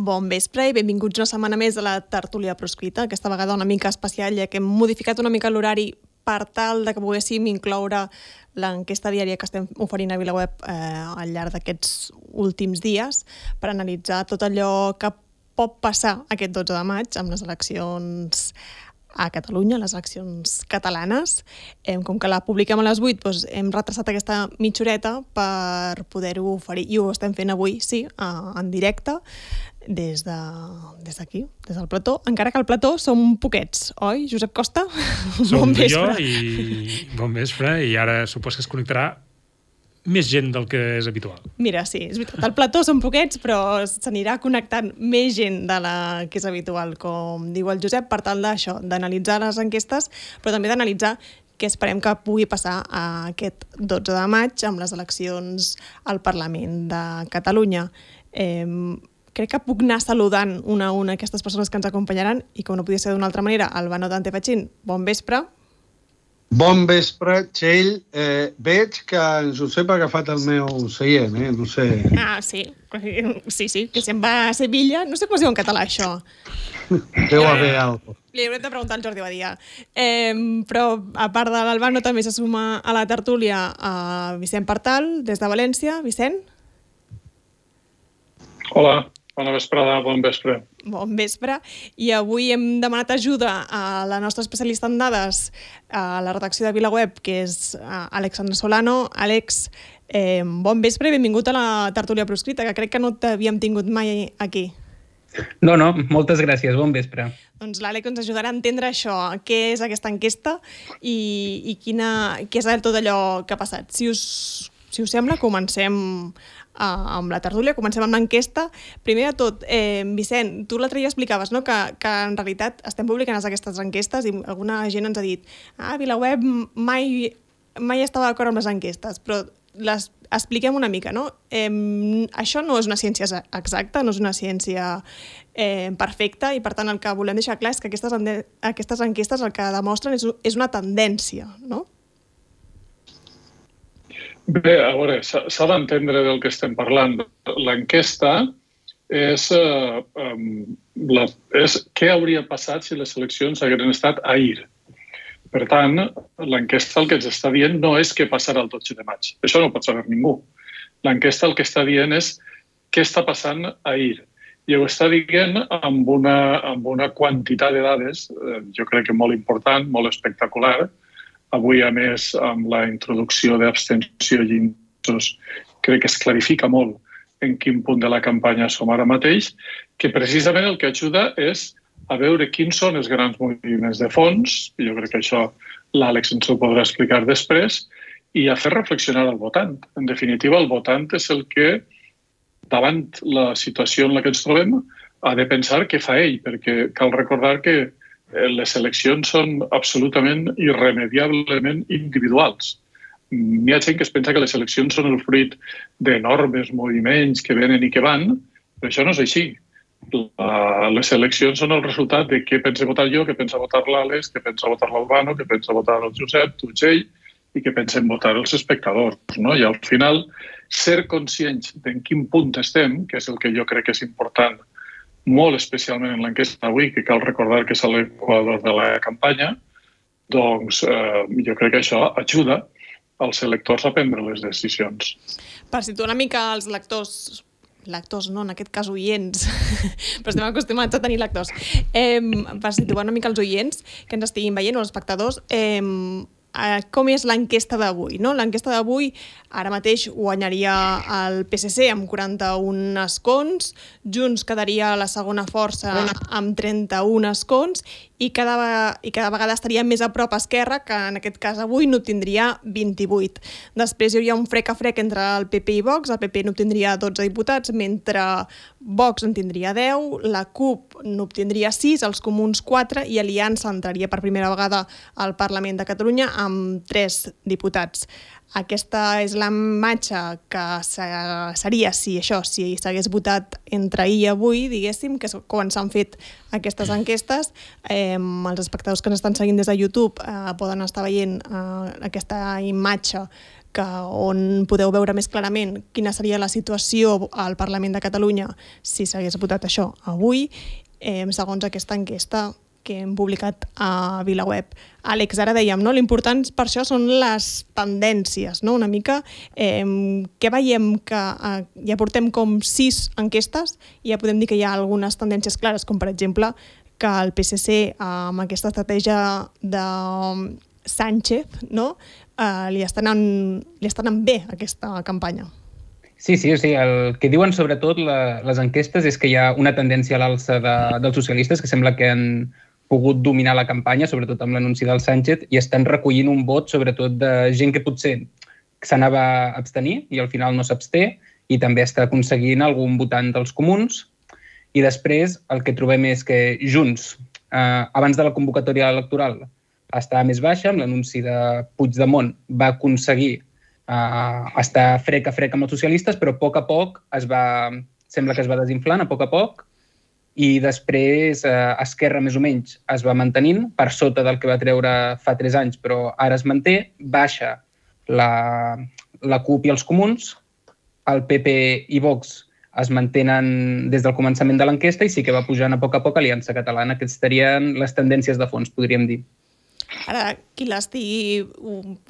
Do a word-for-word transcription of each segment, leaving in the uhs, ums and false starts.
Bon vespre i benvinguts una setmana més a la tertúlia proscrita, aquesta vegada una mica especial, ja que hem modificat una mica l'horari per tal de que poguéssim incloure l'enquesta diària que estem oferint a VilaWeb eh, al llarg d'aquests últims dies per analitzar tot allò que pot passar aquest dotze de maig amb les eleccions a Catalunya, les eleccions catalanes. Eh, com que la publiquem a les vuit, doncs hem retrasat aquesta mitja horeta per poder-ho oferir, i ho estem fent avui, sí, en directe, des de, des d'aquí, des del plató, encara que al plató som poquets, oi, Josep Costa? Som Bon jo vespre. i bon vespre, i ara supos que es connectarà més gent del que és habitual. Mira, sí, és veritat, al plató són poquets, però s'anirà connectant més gent de la que és habitual, com diu el Josep, per tal d'això, d'analitzar les enquestes, però també d'analitzar què esperem que pugui passar aquest dotze de maig amb les eleccions al Parlament de Catalunya. Eh, crec que puc anar saludant una a una aquestes persones que ens acompanyaran i, com no podia ser d'una altra manera, Albano Dante Fachin, bon vespre. Bon vespre, Txell. Eh, veig que en Josep ha agafat el meu seient, eh? No sé... Ah, sí. Sí, sí, que se'n va a Sevilla. No sé com es diu en català, això. Deu haver alguna cosa. Li haurem de preguntar al Jordi Badia. Eh, però, a part de l'Albano, també se suma a la tertúlia a Vicent Partal, des de València. Vicent? Hola, bona vesprada, bon vespre. Bon vespre. I avui hem demanat ajuda a la nostra especialista en dades a la redacció de VilaWeb, que és Alexandre Solano. Àlex, eh, bon vespre i benvingut a la tertúlia proscrita, que crec que no t'havíem tingut mai aquí. No, no, moltes gràcies, bon vespre. Doncs l'Àlex ens ajudarà a entendre això, què és aquesta enquesta i, i quina, què és tot allò que ha passat. Si us, si us sembla, comencem Uh, amb la tertúlia, comencem amb l'enquesta. Primer de tot, eh, Vicent, tu l'altre dia explicaves, no?, que, que en realitat estem publicant aquestes enquestes i alguna gent ens ha dit ah, VilaWeb mai, mai estava d'acord amb les enquestes, però les expliquem una mica, no? Eh, això no és una ciència exacta, no és una ciència eh, perfecta, i per tant el que volem deixar clar és que aquestes, aquestes enquestes el que demostren és, és una tendència, no? Bé, a veure, s'ha d'entendre del que estem parlant. L'enquesta és, eh, la, és què hauria passat si les eleccions haguessin estat ahir. Per tant, l'enquesta el que ens està dient no és què passarà el dotze de maig. Això no ho pot saber ningú. L'enquesta el que està dient és què està passant ahir. I ho està dient amb una, amb una quantitat de dades, eh, jo crec que molt important, molt espectacular. Avui, a més, amb la introducció d'abstenció i indecsos, crec que es clarifica molt en quin punt de la campanya som ara mateix, que precisament el que ajuda és a veure quins són els grans moviments de fons, i jo crec que això l'Àlex ens ho podrà explicar després, i a fer reflexionar el votant. En definitiva, el votant és el que, davant la situació en la que ens trobem, ha de pensar què fa ell, perquè cal recordar que les eleccions són absolutament irremediablement individuals. Hi ha gent que es pensa que les eleccions són el fruit d'enormes moviments que venen i que van, però això no és així. Les eleccions són el resultat de què pensa votar jo, què pensa votar l'Àlex, què pensa votar l'Albano, què pensa votar el Josep, tu, Txell, i què pensen votar els espectadors. No? I al final, ser conscients d'en quin punt estem, que és el que jo crec que és important, molt especialment en l'enquesta d'avui, que cal recordar que és l'equador de la campanya, doncs eh, jo crec que això ajuda als electors a prendre les decisions. Per situar una mica els lectors, lectors no, en aquest cas oients, però estem acostumats a tenir lectors, eh, per situar una mica els oients que ens estiguin veient o els espectadors, eh, com és l'enquesta d'avui, no? L'enquesta d'avui ara mateix guanyaria el P S C amb quaranta-un escons, Junts quedaria a la segona força amb trenta-un escons i cada, i cada vegada estaria més a prop a Esquerra, que en aquest cas avui n'obtindria vint-i-vuit. Després hi hauria un frec a frec entre el P P i Vox, el P P n'obtindria dotze diputats, mentre Vox en tindria deu, la CUP n'obtindria sis, els Comuns quatre i Aliança entraria per primera vegada al Parlament de Catalunya amb tres diputats. Aquesta és la imatge que seria, si això, si s'hagués votat entre ahir i avui, diguéssim, que és quan s'han fet aquestes enquestes. Eh, els espectadors que ens estan seguint des de YouTube eh, poden estar veient eh, aquesta imatge que on podeu veure més clarament quina seria la situació al Parlament de Catalunya si s'hagués votat això avui, eh, segons aquesta enquesta que hem publicat a VilaWeb. Àlex, ara dèiem, no? L'important per això són les tendències, no? Una mica. Eh, què veiem? Que eh, ja portem com sis enquestes i ja podem dir que hi ha algunes tendències clares, com per exemple que el P S C, eh, amb aquesta estratègia de Sánchez, no? eh, li, està anant, li està anant bé aquesta campanya. Sí, sí, o sigui, el que diuen sobretot la, les enquestes és que hi ha una tendència a l'alça de, dels socialistes que sembla que han pogut dominar la campanya, sobretot amb l'anunci del Sánchez, i estan recollint un vot sobretot de gent que potser s'anava a abstenir i al final no s'absté, i també està aconseguint algun votant dels comuns. I després el que trobem és que Junts, eh, abans de la convocatòria electoral, estava més baixa, amb l'anunci de Puigdemont va aconseguir eh, estar frec a frec amb els socialistes, però a poc a poc es va, sembla que es va desinflant, a poc a poc, i després eh, Esquerra més o menys es va mantenint per sota del que va treure fa tres anys, però ara es manté, baixa la, la CUP i els comuns, el P P i Vox es mantenen des del començament de l'enquesta i sí que va pujant a poc a poc Aliança Catalana, que estarien les tendències de fons, podríem dir. Ara, qui l'estigui,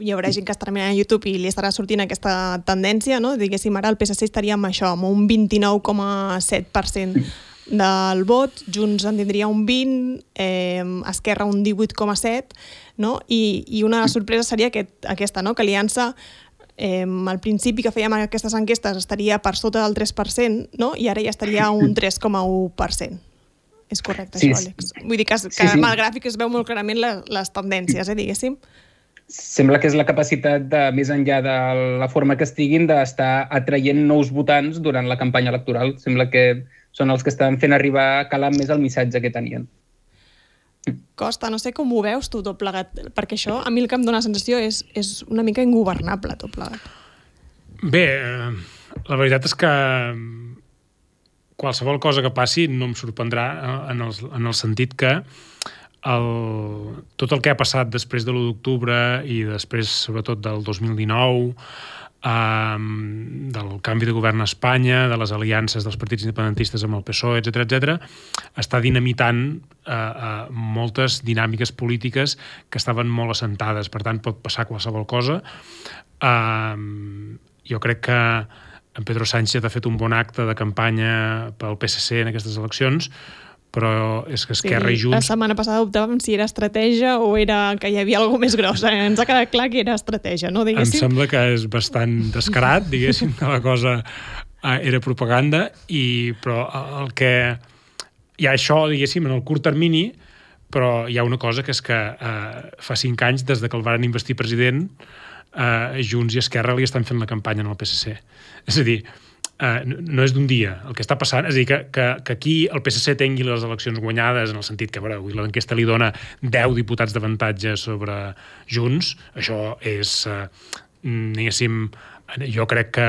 hi haurà gent que estarà mirant a YouTube i li estarà sortint aquesta tendència, no? Diguéssim, ara el P S C estaria amb això, amb un vint-i-nou coma set per cent del vot, Junts en tindria un vint, eh, Esquerra un divuit coma set, no? I, i una sorpresa seria aquest, aquesta, no? Que Aliança, eh, al principi que fèiem aquestes enquestes estaria per sota del tres per cent, no? I ara ja estaria un tres coma u per cent. És correcte, sí, això, Àlex? Vull dir que, que sí, sí. amb el gràfic es veu molt clarament les, les tendències, eh, diguéssim. Sembla que és la capacitat, de, més enllà de la forma que estiguin, d'estar atraient nous votants durant la campanya electoral. Sembla que són els que estan fent arribar calant més el missatge que tenien. Costa, no sé com ho veus tu tot plegat, perquè això a mi el que em dóna la sensació és, és una mica ingovernable tot plegat. Bé, la veritat és que qualsevol cosa que passi no em sorprendrà en el, en el sentit que el, tot el que ha passat després de l'u d'octubre i després, sobretot, del dos mil dinou, um, del canvi de govern a Espanya, de les aliances dels partits independentistes amb el P S O E, etcètera, etcètera, està dinamitant uh, uh, moltes dinàmiques polítiques que estaven molt assentades. Per tant, pot passar qualsevol cosa. Um, jo crec que en Pedro Sánchez ha fet un bon acte de campanya pel P S C en aquestes eleccions, però és que Esquerra sí, i Junts... La setmana passada dubtàvem si era estratègia o era que hi havia alguna més grossa. Ens ha quedat clar que era estratègia, no? Diguéssim. Em sembla que és bastant descarat, diguéssim, que la cosa era propaganda, i, però el que... Hi ha això, diguéssim, en el curt termini, però hi ha una cosa que és que eh, fa cinc anys, des de que el varen investir president, eh, Junts i Esquerra li estan fent la campanya en el P S C. És a dir, Uh, no és d'un dia. El que està passant és a dir, que, que, que aquí el P S C tingui les eleccions guanyades, en el sentit que, veure, avui l'enquesta li dona deu diputats d'avantatge sobre Junts. Això és, uh, diguéssim, jo crec que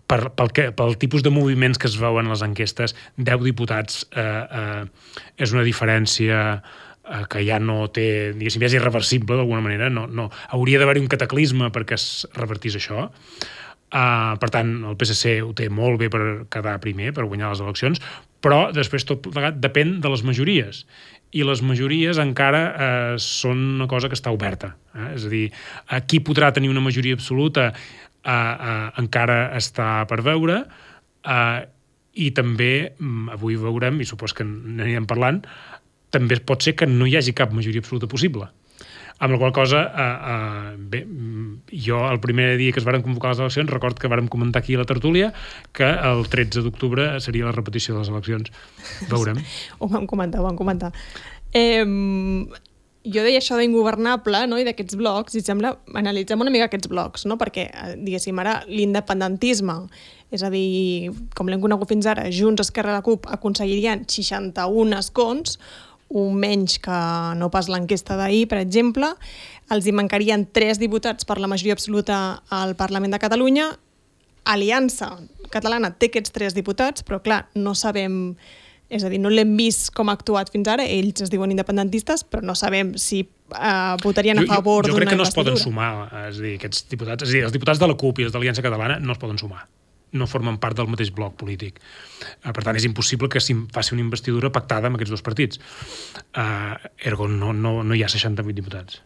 per, pel, que, pel tipus de moviments que es veuen a les enquestes, deu diputats uh, uh, és una diferència uh, que ja no té, diguéssim, ja és irreversible d'alguna manera. No, no. Hauria d'haver-hi un cataclisme perquè es revertís això. Uh, per tant, el P S C ho té molt bé per quedar primer, per guanyar les eleccions, però després tot plegat depèn de les majories. I les majories encara uh, són una cosa que està oberta. Eh? És a dir, uh, qui podrà tenir una majoria absoluta uh, uh, encara està per veure, uh, i també, um, avui veurem, i supos que n'anirem parlant, també pot ser que no hi hagi cap majoria absoluta possible. Amb la qual cosa, eh, eh, bé, jo el primer dia que es varen convocar les eleccions, record que vàrem comentar aquí a la tertúlia que el tretze d'octubre seria la repetició de les eleccions. Veurem. Ho vam comentar, ho vam comentar. Eh, jo deia això d'ingovernable, no?, i d'aquests blocs, i sembla, analitzem una mica aquests blocs, no?, perquè, diguéssim, ara l'independentisme, és a dir, com l'hem conegut fins ara, Junts, Esquerra i la CUP aconseguirien seixanta-un escons, un menys que no pas l'enquesta d'ahir, per exemple. Els hi mancarien tres diputats per la majoria absoluta al Parlament de Catalunya. Aliança Catalana té aquests tres diputats, però clar, no sabem És a dir, no l'hem vist com ha actuat fins ara, ells es diuen independentistes, però no sabem si uh, votarien a favor d'una investidura. Jo crec que no es poden sumar, és a dir, aquests diputats, és a dir, els diputats de la CUP i els d'Aliança Catalana no es poden sumar, no formen part del mateix bloc polític. Uh, per tant, és impossible que s'hi faci una investidura pactada amb aquests dos partits. Uh, ergo, no, no, no hi ha seixanta-vuit diputats.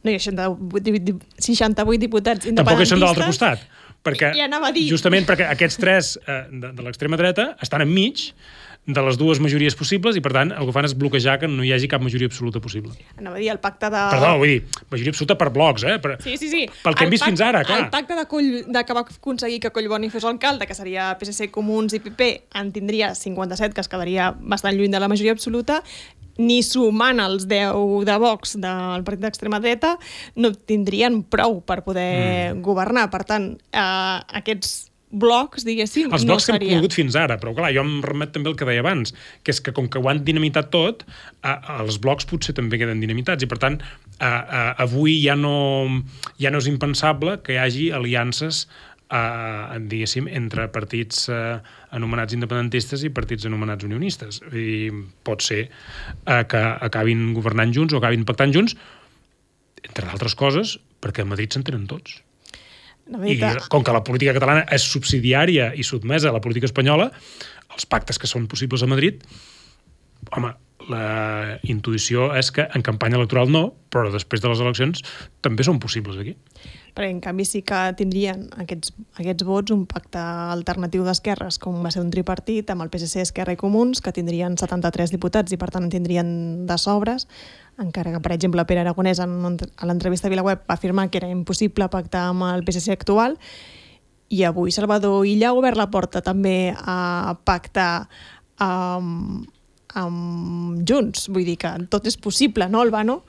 No hi ha seixanta-vuit diputats independentistes. Tampoc hi són de l'altre costat. Perquè, I anava a dir. Justament perquè aquests tres eh, de, de l'extrema dreta estan enmig de les dues majories possibles i, per tant, el que fan és bloquejar que no hi hagi cap majoria absoluta possible. Anava a dir, el pacte de... Perdó, vull dir, majoria absoluta per blocs, eh? Per, sí, sí, sí. Pel que hem vist fins ara, clar. El pacte de, Coll, de que va aconseguir que Collboni fos alcalde, que seria P S C, Comuns i P P, en tindria cinquanta-set, que es quedaria bastant lluny de la majoria absoluta, ni sumant els deu de Vox del partit d'extrema dreta, no tindrien prou per poder mm. governar. Per tant, eh, aquests blocs, diguéssim, els no blocs seria. que hem conegut fins ara, però clar, jo em remet també el que deia abans, que és que com que ho han dinamitat tot, eh, els blocs potser també queden dinamitats i per tant, eh, eh, avui ja no, ja no és impensable que hi hagi aliances eh, diguéssim, entre partits eh, anomenats independentistes i partits anomenats unionistes. I pot ser eh, que acabin governant junts o acabin pactant junts, entre d'altres coses, perquè a Madrid s'entenen tots. I com que la política catalana és subsidiària i sotmesa a la política espanyola, els pactes que són possibles a Madrid, home, la intuïció és que en campanya electoral no, però després de les eleccions també són possibles aquí. Perquè, en canvi, sí que tindrien aquests, aquests vots un pacte alternatiu d'esquerres, com va ser un tripartit, amb el P S C, Esquerra i Comuns, que tindrien setanta-tres diputats i, per tant, en tindrien de sobres, encara que, per exemple, Pere Aragonès, en, a l'entrevista a VilaWeb, va afirmar que era impossible pactar amb el P S C actual, i avui Salvador Illa ha obert la porta també a pactar amb, amb Junts. Vull dir que tot és possible, no, Albano?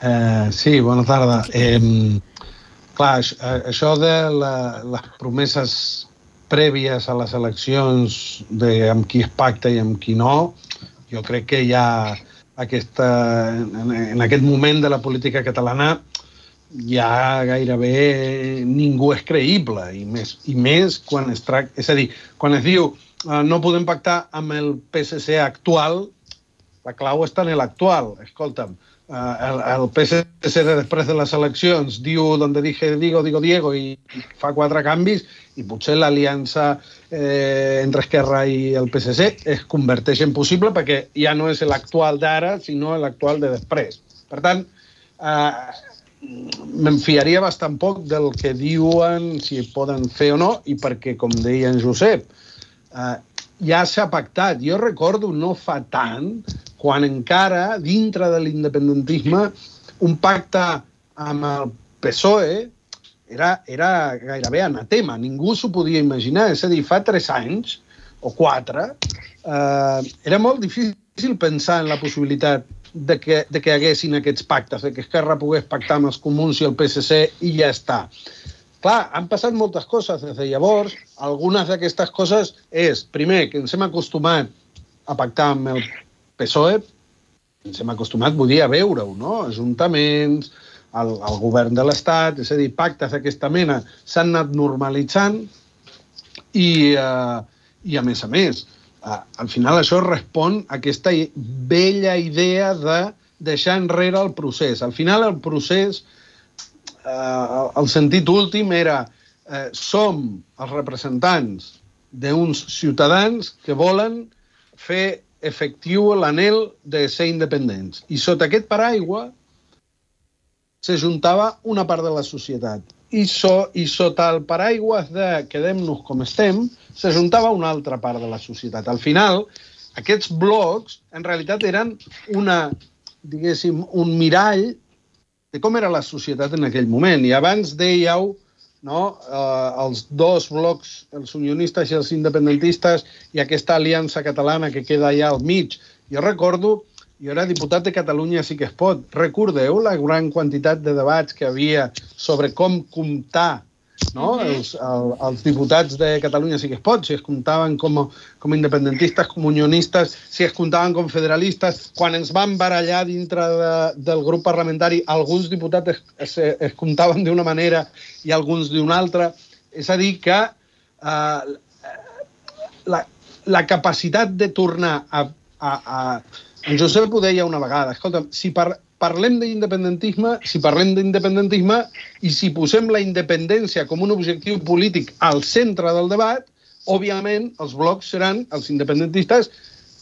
Eh, sí, bona tarda. Eh, clar, això de la, les promeses prèvies a les eleccions de amb qui es pacta i amb qui no, jo crec que ja aquesta, en, en aquest moment de la política catalana ja gairebé ningú és creïble, i més, i més quan es tracta... És a dir, quan es diu eh, no podem pactar amb el P S C actual, la clau està en l'actual. Escolta'm, eh, el, el P S C de després de les eleccions diu donde dije digo, digo Diego, i fa quatre canvis, i potser l'aliança eh, entre Esquerra i el P S C es converteix en possible perquè ja no és l'actual d'ara, sinó l'actual de després. Per tant, eh, me'n fiaria bastant poc del que diuen, si poden fer o no, i perquè, com deia en Josep, eh, ja s'ha pactat. Jo recordo no fa tant, quan encara, dintre de l'independentisme, un pacte amb el P S O E era, era gairebé anatema. Ningú s'ho podia imaginar. És a dir, fa tres anys, o quatre, eh, era molt difícil pensar en la possibilitat de que, de que haguessin aquests pactes, de que Esquerra pogués pactar amb els Comuns i el P S C i ja està. Clar, han passat moltes coses des de llavors. Algunes d'aquestes coses és, primer, que ens hem acostumat a pactar amb el P S O E, ens hem acostumat, vull dir, a veure-ho, no? Ajuntaments, el, el govern de l'Estat, és a dir, pactes d'aquesta mena s'han anat normalitzant i, eh, i a més a més, eh, al final això respon a aquesta vella idea de deixar enrere el procés. Al final el procés, eh, el sentit últim era eh, som els representants d'uns ciutadans que volen fer efectiu l'anhel de ser independents. I sota aquest paraigua s'ajuntava una part de la societat. I, so, i sota el paraigua de quedem-nos com estem, s'ajuntava una altra part de la societat. Al final, aquests blocs, en realitat, eren una, diguéssim, un mirall de com era la societat en aquell moment. I abans dèieu, no, eh, els dos blocs, els unionistes i els independentistes, i aquesta aliança catalana que queda allà al mig. Jo recordo, jo era diputat de Catalunya Sí que es pot. Recordeu la gran quantitat de debats que havia sobre com comptar, no? Mm-hmm. els, el, els diputats de Catalunya Sí que es pot, si es comptaven com, com independentistes, com unionistes, si es comptaven com federalistes. Quan ens van barallar dintre de, del grup parlamentari, alguns diputats es, es, es comptaven d'una manera i alguns d'una altra. És a dir, que eh, la, la capacitat de tornar a... a, a... En Josep ho deia una vegada, escolta, si par, parlem d'independentisme, si parlem d'independentisme i si posem la independència com un objectiu polític al centre del debat, òbviament els blocs seran els independentistes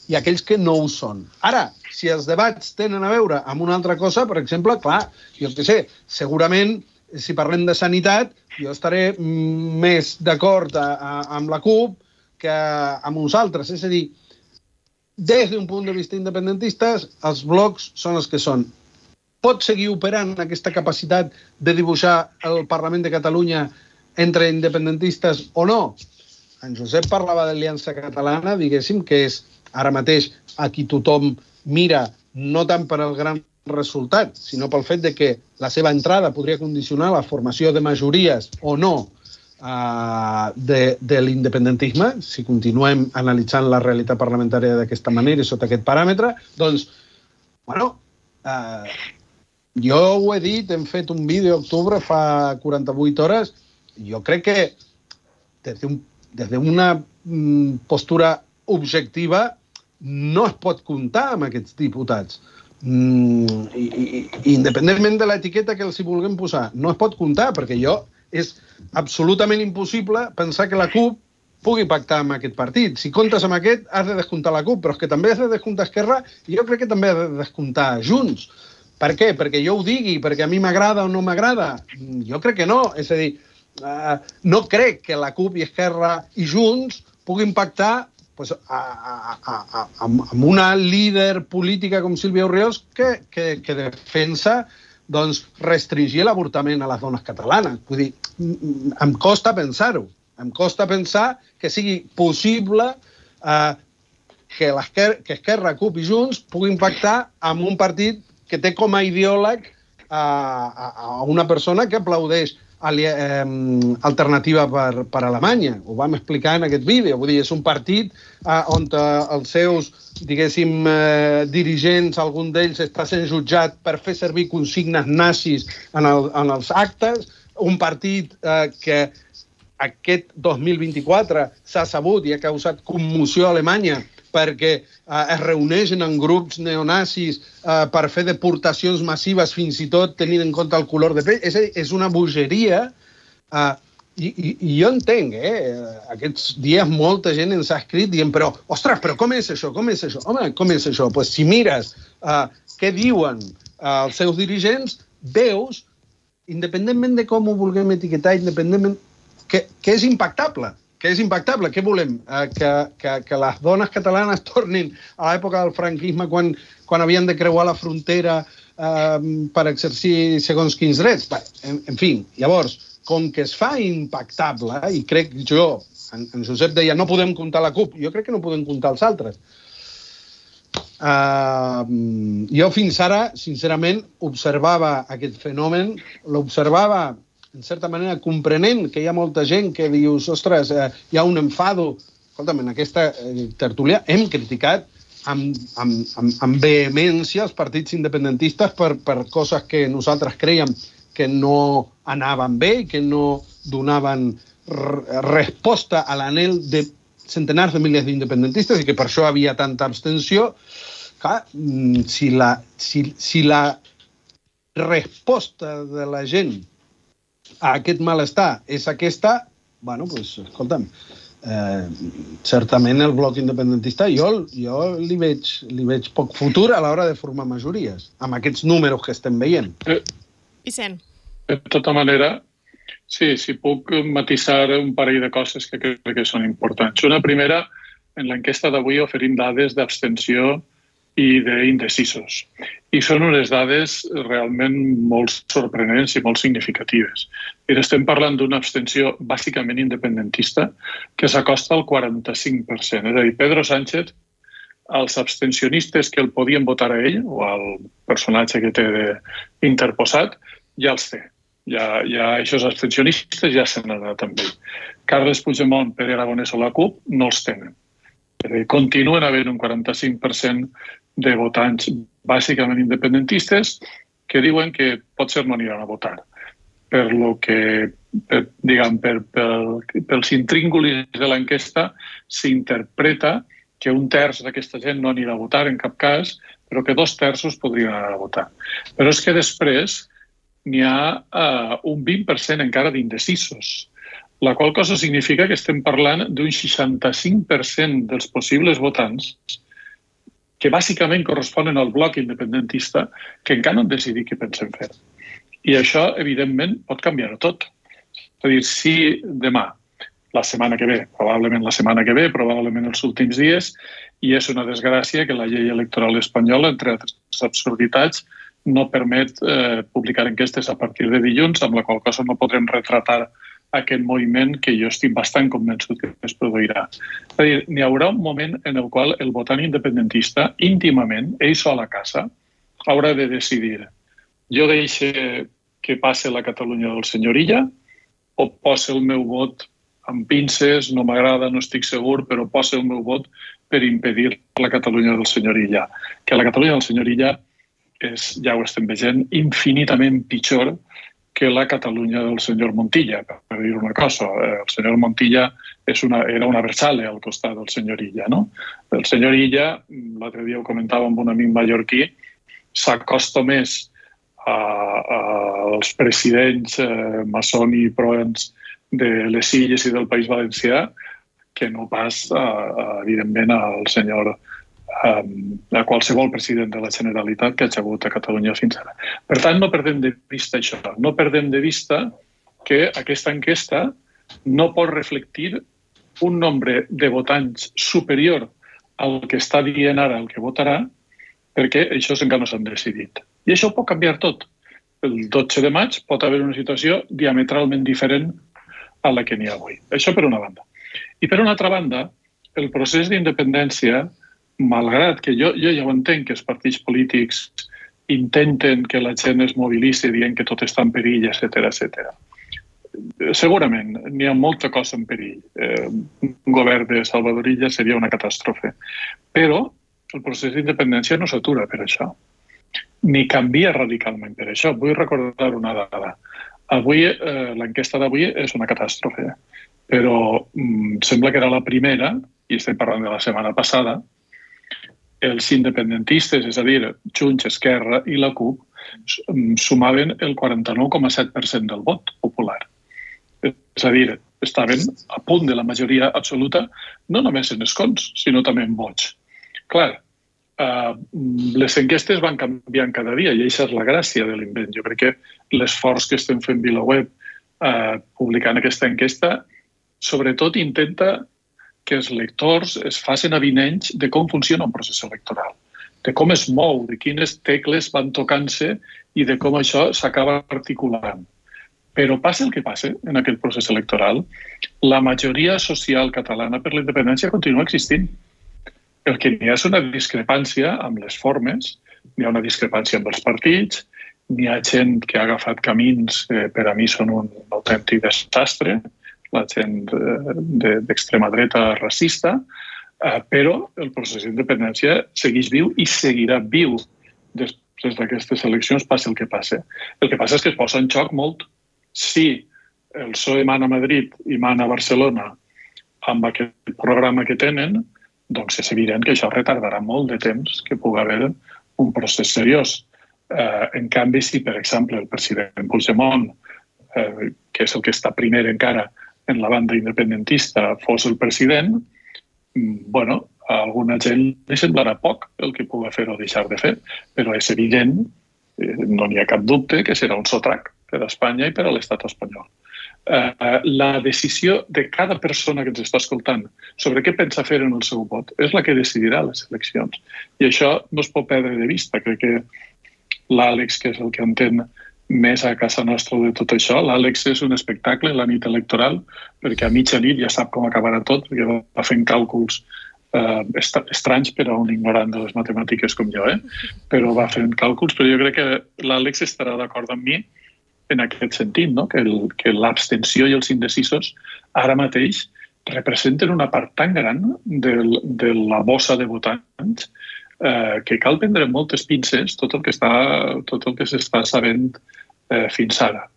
i aquells que no ho són. Ara, si els debats tenen a veure amb una altra cosa, per exemple, clar, jo què sé, segurament, si parlem de sanitat, jo estaré més d'acord amb la CUP que amb uns altres. És a dir, des d'un punt de vista independentista, els blocs són els que són. Pot seguir operant aquesta capacitat de dibuixar el Parlament de Catalunya entre independentistes o no? En Josep parlava d'Aliança Catalana, diguéssim, que és ara mateix a qui tothom mira, no tant per al gran resultat, sinó pel fet de que la seva entrada podria condicionar la formació de majories o no uh, de, de l'independentisme, si continuem analitzant la realitat parlamentària d'aquesta manera i sota aquest paràmetre, doncs, bueno, uh, jo ho he dit, hem fet un vídeo a octubre fa quaranta-vuit hores, jo crec que des d'un des d'una postura objectiva no es pot comptar amb aquests diputats. Mm, i, i, independentment de l'etiqueta que els hi vulguem posar, no es pot comptar, perquè jo és absolutament impossible pensar que la CUP pugui pactar amb aquest partit. Si comptes amb aquest, has de descomptar la CUP, però és que també has de descomptar Esquerra i jo crec que també has de descomptar Junts. Per què? Perquè jo ho digui, perquè a mi m'agrada o no m'agrada? Jo crec que no. És a dir, Uh, no crec que la CUP i Esquerra i Junts puguin pactar pues, a, a, a, a, amb una líder política com Sílvia Orriols que, que, que defensa doncs, restringir l'avortament a les dones catalanes. Vull dir, em costa pensar-ho. Em costa pensar que sigui possible uh, que, que Esquerra, CUP i Junts puguin pactar amb un partit que té com a ideòleg uh, a, a una persona que aplaudeix alternativa per, per Alemanya. Ho vam explicar en aquest vídeo. Vull dir, és un partit eh, on eh, els seus, diguéssim, eh, dirigents, algun d'ells està sent jutjat per fer servir consignes nazis en, el, en els actes, un partit eh, que aquest dos mil vint-i-quatre s'ha sabut i ha causat commoció a Alemanya perquè eh, es reuneixen en grups neonazis eh, per fer deportacions massives, fins i tot tenint en compte el color de pell. És a dir, és una bogeria. Eh, i, i, I jo entenc, eh? Aquests dies molta gent ens ha escrit dient, però, ostres, però com és això? Com és això? Home, com és això? Pues si mires eh, què diuen eh, els seus dirigents, veus, independentment de com ho vulguem etiquetar, independentment, que, que és impactable. Que és impactable. Què volem? Eh, que, que, que les dones catalanes tornin a l'època del franquisme quan, quan havien de creuar la frontera eh, per exercir segons quins drets? Bé, en, en fi, llavors, com que es fa impactable, i crec jo, en, en Josep deia, no podem comptar la CUP, jo crec que no podem comptar els altres. Uh, jo fins ara, sincerament, observava aquest fenomen, l'observava en certa manera, comprenent que hi ha molta gent que dius, ostres, eh, hi ha un enfado. Escolta'm, en aquesta eh, tertúlia hem criticat amb, amb, amb, amb vehemència els partits independentistes per, per coses que nosaltres creiem que no anaven bé i que no donaven resposta a l'anhel de centenars de milers d'independentistes i que per això havia tanta abstenció. Clar, si la, si, si la resposta de la gent a aquest malestar és aquesta, bueno, doncs, escolta'm, eh, certament el bloc independentista jo, jo li, veig, li veig poc futur a l'hora de formar majories, amb aquests números que estem veient. Eh, Vicent. De tota manera, sí, si puc matisar un parell de coses que crec que són importants. Una primera, en l'enquesta d'avui oferim dades d'abstenció i d'indecisos. I són unes dades realment molt sorprenents i molt significatives. I estem parlant d'una abstenció bàsicament independentista que s'acosta al quaranta-cinc per cent. És a dir, Pedro Sánchez, els abstencionistes que el podien votar a ell, o al personatge que té interposat, ja els té. Ja, ja aquests abstencionistes ja s'han anat amb ell. Carles Puigdemont, Pere Aragonès o la CUP no els tenen. Continuen havent un quaranta-cinc per cent de votants bàsicament independentistes que diuen que potser no aniran a votar per lo que per, diguem, per, per, pels intríngulis de l'enquesta s'interpreta que un terç d'aquesta gent no anirà a votar en cap cas, però que dos terços podrien anar a votar. Però és que després n'hi ha uh, un vint per cent encara d'indecisos, la qual cosa significa que estem parlant d'un seixanta-cinc per cent dels possibles votants que bàsicament corresponen al bloc independentista que encara no han decidit què pensen fer. I això, evidentment, pot canviar-ho tot. És a dir, si demà, la setmana que ve, probablement la setmana que ve, probablement els últims dies, i és una desgràcia que la llei electoral espanyola, entre altres absurditats, no permet eh, publicar enquestes a partir de dilluns, amb la qual cosa no podrem retratar aquest moviment que jo estic bastant convençut que es produirà. És a dir, n'hi haurà un moment en el qual el votant independentista, íntimament, ell sol a casa, haurà de decidir: jo deixo que passe la Catalunya del senyor Illa o poso el meu vot amb pinces, no m'agrada, no estic segur, però poso el meu vot per impedir la Catalunya del senyor Illa. Que la Catalunya del senyor Illa és, ja ho estem veient, infinitament pitjor que la Catalunya del senyor Montilla, per dir una cosa. El senyor Montilla és una, era una versale al costat del senyor Illa, no? El senyor Illa, l'altre dia ho comentava amb un amic mallorquí, s'acosta més a, a, als presidents eh, Massoni i Proens de les Illes i del País Valencià que no pas, a, a, evidentment, al senyor a qualsevol president de la Generalitat que ha hagut a Catalunya fins ara. Per tant, no perdem de vista això. No perdem de vista que aquesta enquesta no pot reflectir un nombre de votants superior al que està dient ara el que votarà, perquè això encara no s'han decidit. I això ho pot canviar tot. El dotze de maig pot haver una situació diametralment diferent a la que n'hi ha avui. Això per una banda. I per una altra banda, el procés d'independència, malgrat que jo, jo ja ho entenc que els partits polítics intenten que la gent es mobilitzi dient que tot està en perill, etcètera, etcètera. Segurament n'hi ha molta cosa en perill. Eh, un govern de Salvador Illa seria una catàstrofe. Però el procés d'independència no s'atura per això, ni canvia radicalment per això. Vull recordar una dada. Avui, eh, l'enquesta d'avui és una catàstrofe, però mm, sembla que era la primera, i estem parlant de la setmana passada, els independentistes, és a dir, Junts, Esquerra i la CUP, sumaven el quaranta-nou coma set per cent del vot popular. És a dir, estaven a punt de la majoria absoluta, no només en escons, sinó també en vots. Clar, eh, les enquestes van canviant cada dia i això és la gràcia de l'invent. Jo crec que l'esforç que estem fent VilaWeb eh, publicant aquesta enquesta, sobretot intenta que els lectors es facin avinents de com funciona un procés electoral, de com es mou, de quines tecles van tocant-se i de com això s'acaba articulant. Però passa el que passa en aquest procés electoral, la majoria social catalana per la independència continua existint. El que n'hi ha és una discrepància amb les formes, n'hi ha una discrepància amb els partits, n'hi ha gent que ha agafat camins que per a mi són un autèntic desastre, la gent d'extrema dreta racista, però el procés d'independència segueix viu i seguirà viu després d'aquestes eleccions, passi el que passi. El que passa és que es posa en xoc molt. Si el P S O E mana a Madrid i mana a Barcelona amb aquest programa que tenen, doncs és evident que això retardarà molt de temps que pugui haver un procés seriós. En canvi, si, per exemple, el president Puigdemont, que és el que està primer encara en la banda independentista, fos el president, bueno, a alguna gent li semblarà poc el que pugui fer o deixar de fer, però és evident, no n'hi ha cap dubte, que serà un sotrac per a Espanya i per a l'estat espanyol. La decisió de cada persona que ens està escoltant sobre què pensa fer en el seu vot és la que decidirà les eleccions. I això no es pot perdre de vista. Crec que l'Àlex, que és el que entén més a casa nostra de tot això. L'Àlex és un espectacle la nit electoral, perquè a mitja nit ja sap com acabarà tot, perquè va fent càlculs eh, estranys per a un ignorant de les matemàtiques com jo, eh? Però va fent càlculs, però jo crec que l'Àlex estarà d'acord amb mi en aquest sentit, no? que, el, que l'abstenció i els indecisos ara mateix representen una part tan gran de, de la bossa de votants eh, que cal prendre moltes pinces tot el que està, tot el que s'està sabent eh, fins ara.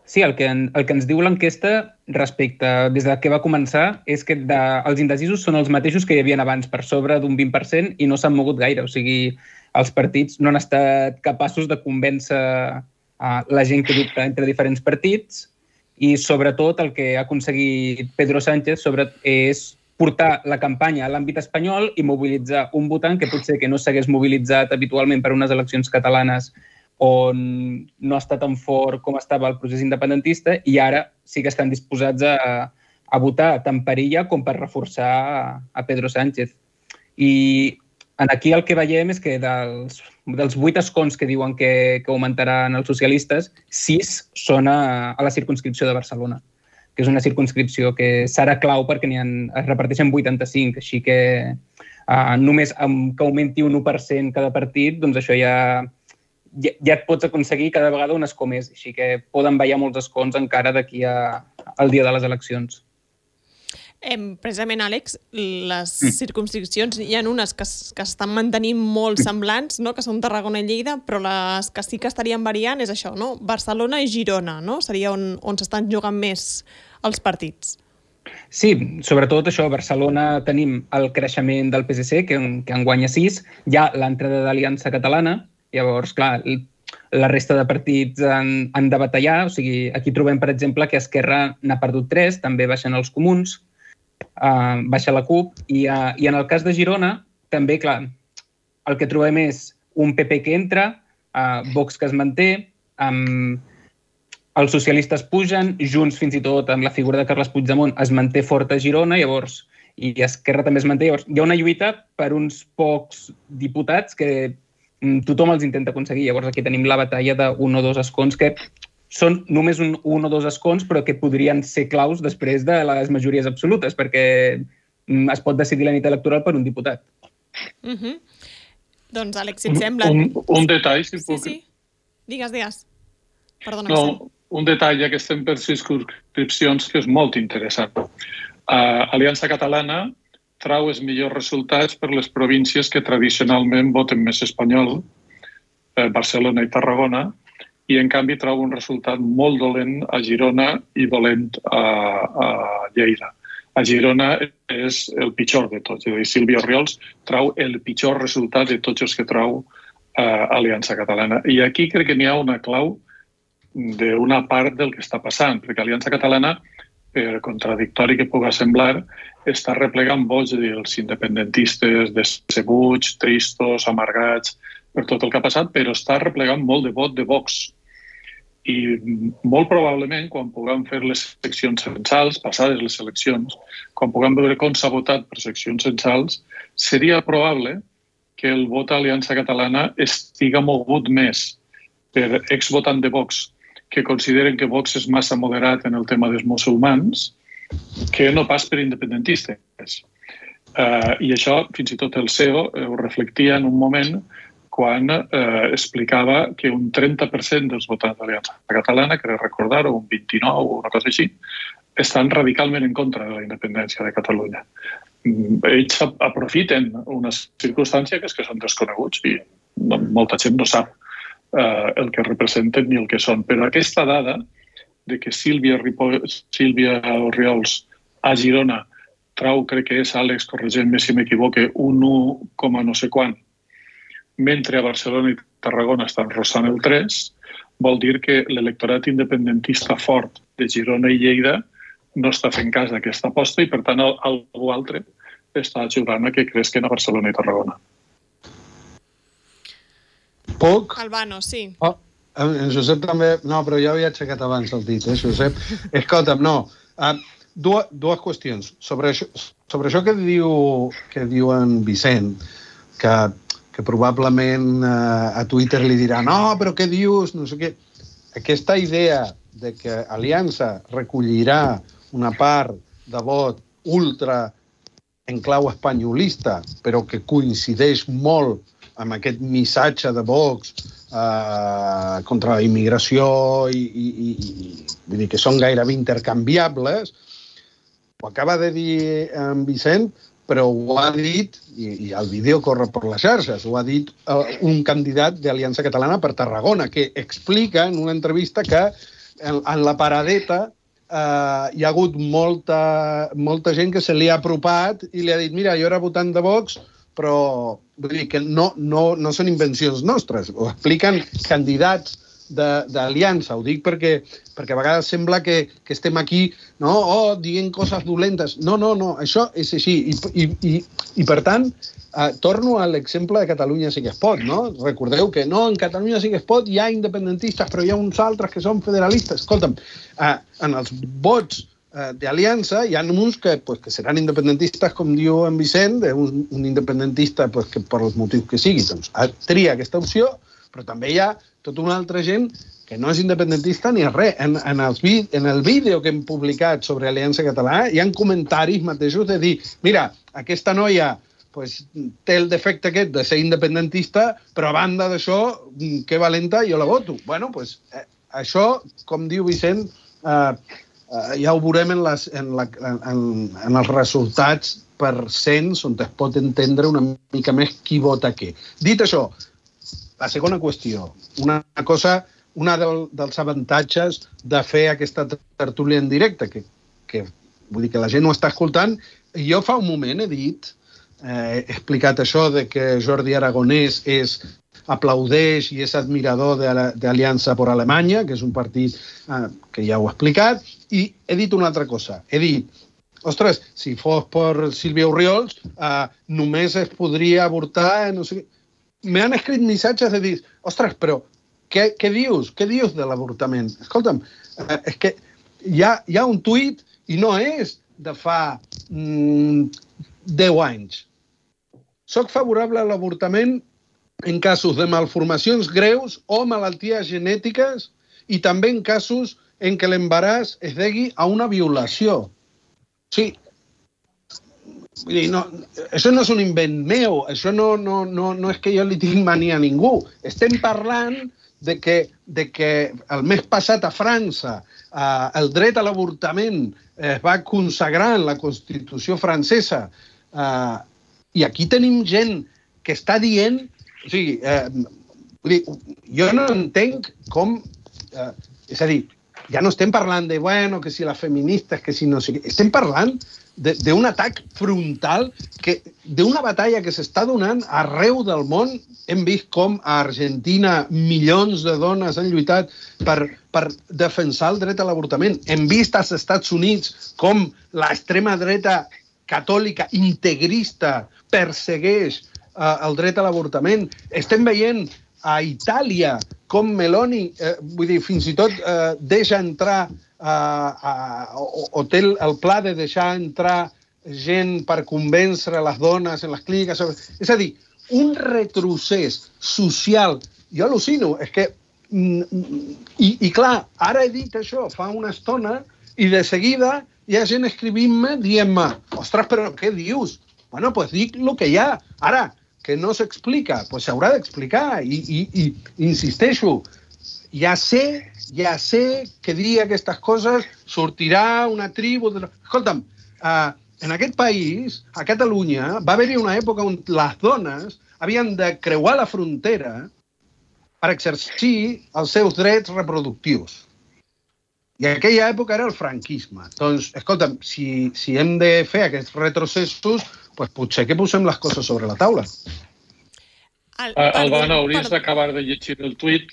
Sí, el que, en, el que ens diu l'enquesta respecte des de què va començar és que de, els indecisos són els mateixos que hi havia abans, per sobre d'un vint per cent, i no s'han mogut gaire. O sigui, els partits no han estat capaços de convèncer uh, la gent que dubta entre diferents partits, i sobretot el que ha aconseguit Pedro Sánchez sobre, és portar la campanya a l'àmbit espanyol i mobilitzar un votant que potser que no s'hagués mobilitzat habitualment per unes eleccions catalanes on no està tan fort com estava el procés independentista, i ara sí que estan disposats a, a votar tant per ella com per reforçar a, a Pedro Sánchez. I aquí el que veiem és que dels, dels vuit escons que diuen que, que augmentaran els socialistes, sis són a, a la circumscripció de Barcelona, que és una circumscripció que serà clau perquè n'hi ha, es reparteixen vuitanta-cinc, així que uh, només amb que augmenti un u per cent cada partit, doncs això ja... Ja, ja et pots aconseguir cada vegada un escó més, així que poden ballar molts escons encara d'aquí a, al dia de les eleccions. Eh, precisament, Àlex, les mm. circumscripcions, hi ha unes que, que estan mantenint molt semblants, no? Que són Tarragona i Lleida, però les que sí que estarien variant és això, no? Barcelona i Girona, no? Seria on, on s'estan jugant més els partits. Sí, sobretot això, a Barcelona tenim el creixement del P S C, que, que en guanya sis, hi ha l'entrada d'Aliança Catalana. Llavors, clar, la resta de partits han, han de batallar. O sigui, aquí trobem, per exemple, que Esquerra n'ha perdut tres, també baixen els comuns, uh, baixa la CUP, i, uh, i en el cas de Girona, també, clar, el que trobem és un P P que entra, uh, Vox que es manté, um, els socialistes pugen, Junts fins i tot amb la figura de Carles Puigdemont es manté fort a Girona, llavors, i Esquerra també es manté. Llavors, hi ha una lluita per uns pocs diputats que tothom els intenta aconseguir. Llavors aquí tenim la batalla d'un o dos escons que són només un, un o dos escons, però que podrien ser claus després de les majories absolutes, perquè es pot decidir la nit electoral per un diputat. Uh-huh. Doncs, Àlex, si et sembla... Un, un detall, si sí, puc... Sí, digues, digues. Perdona, no, Vicent. Un detall, ja que estem per circumscripcions, que és molt interessant. Uh, Aliança Catalana trau els millors resultats per les províncies que tradicionalment voten més espanyol, eh, Barcelona i Tarragona, i en canvi trau un resultat molt dolent a Girona i dolent a, a Lleida. A Girona és el pitjor de tots. És a dir, Sílvia Orriols trau el pitjor resultat de tots els que trau eh, Aliança Catalana. I aquí crec que n'hi ha una clau d'una part del que està passant, perquè Aliança Catalana, per contradictori que pugui semblar, està replegant vots dels independentistes decebuts, tristos, amargats, per tot el que ha passat, però està replegant molt de vot de Vox. I molt probablement, quan puguem fer les seccions censals, passades les eleccions, quan puguem veure com s'ha votat per seccions censals, seria probable que el vot a Aliança Catalana estiga mogut més per exvotant de Vox que consideren que Vox és massa moderat en el tema dels musulmans, que no pas per independentistes. Uh, I això, fins i tot el C E O, ho reflectia en un moment quan uh, explicava que un trenta per cent dels votants d'Aliança Catalana, que recordar, o un vint-i-nou o una cosa així, estan radicalment en contra de la independència de Catalunya. Ells aprofiten una circumstància que és que són desconeguts i molta gent no sap Uh, el que representen ni el que són. Però aquesta dada de que Sílvia, Ripoll, Sílvia Orriols a Girona trau, crec que és, Àlex, corregent-me si m'equivoque, un u coma no sé quant, mentre a Barcelona i Tarragona estan rossant el tres, vol dir que l'electorat independentista fort de Girona i Lleida no està fent cas d'aquesta aposta i, per tant, algú altre està ajudant a que cresquen a Barcelona i Tarragona. Poc? Albano, sí. Oh, en Josep també... No, però ja havia aixecat abans el dit, eh, Josep? Escolta'm, no. Uh, dues, dues qüestions. Sobre això, sobre això que diu, que diu en Vicent, que, que probablement uh, a Twitter li dirà no, però què dius? No sé què. Aquesta idea de que Aliança recollirà una part de vot ultra en clau espanyolista, però que coincideix molt amb aquest missatge de Vox eh, contra la immigració i, i, i vull dir que són gairebé intercanviables, ho acaba de dir en Vicent, però ho ha dit, i, i el vídeo corre per les xarxes, ho ha dit eh, un candidat d'Aliança Catalana per Tarragona, que explica en una entrevista que en, en la paradeta Uh, hi ha hagut molta, molta gent que se li ha apropat i li ha dit, mira, jo era votant de Vox, però vull dir que no, no, no són invencions nostres, ho expliquen candidats d'aliança. Ho dic perquè, perquè a vegades sembla que, que estem aquí, no, oh, dient coses dolentes. No, no, no, això és així. I, i, i, i per tant, eh, torno a l'exemple de Catalunya sí que es pot, no? Recordeu que no, en Catalunya sí que es pot, hi ha independentistes, però hi ha uns altres que són federalistes. Escolta'm, eh, en els vots eh, d'aliança hi ha uns que, pues, que seran independentistes, com diu en Vicent, un, un independentista pues, que per els motius que sigui, doncs, tria aquesta opció, però també hi ha tota una altra gent que no és independentista ni res. En, en, els, en el vídeo que hem publicat sobre Aliança Catalana hi ha comentaris mateixos de dir, mira, aquesta noia pues, té el defecte aquest de ser independentista, però a banda d'això, que valenta, jo la voto. Bueno, pues, eh, això, com diu Vicent, eh, eh, ja ho veurem en, les, en, la, en, en els resultats per cents, on es pot entendre una mica més qui vota què. Dit això, la segona qüestió, una cosa, una del, dels avantatges de fer aquesta tertúlia en directe, que, que vull dir que la gent ho està escoltant. Jo fa un moment he dit, eh, he explicat això de que Jordi Aragonès és, aplaudeix i és admirador d'Aliança per Alemanya, que és un partit eh, que ja ho he explicat, i he dit una altra cosa. He dit, ostres, si fos per Sílvia Orriols, eh, només es podria avortar, no sé què. M'han escrit missatges de dir, ostres, però què, què dius? Què dius de l'avortament? Escolta'm, eh, és que hi ha, hi ha un tuit i no és de fa mm, deu anys. Soc favorable a l'avortament en casos de malformacions greus o malalties genètiques i també en casos en què l'embaràs es degui a una violació. Sí. Vull dir, no, això no és un invent meu, això no, no, no, no és que jo li tinc mania a ningú. Estem parlant de que, de que el mes passat a França eh, el dret a l'avortament es va consagrar en la Constitució francesa eh, i aquí tenim gent que està dient, o sigui, eh, vull dir, jo no entenc com, eh, és a dir, ja no estem parlant de, bueno, que si les feministes, que si no sé què, estem parlant d'un atac frontal, d'una batalla que s'està donant arreu del món. Hem vist com a Argentina milions de dones han lluitat per, per defensar el dret a l'avortament. Hem vist als Estats Units com l'extrema dreta catòlica integrista persegueix eh, el dret a l'avortament. Estem veient a Itàlia com Meloni, eh, vull dir, fins i tot eh, deixa entrar Uh, uh, o, o té el, el pla de deixar entrar gent per convèncer les dones en les clíniques. És a dir, un retrocés social, jo al·lucino, és que, i, i clar, ara he dit això fa una estona i de seguida hi ha gent escrivint-me dient-me, ostres, però què dius? Bueno, doncs pues dic el que hi ha. Ara, que no s'explica, doncs pues s'haurà d'explicar i, i, i insisteixo, ja sé Ja sé que dir aquestes coses sortirà una tribu... De... Escolta'm, eh, en aquest país, a Catalunya, va haver-hi una època on les dones havien de creuar la frontera per exercir els seus drets reproductius. I aquella època era el franquisme. Doncs, escolta'm, si, si hem de fer aquests retrocessos, doncs potser que posem les coses sobre la taula. Albano, hauries d'acabar de llegir el tuit.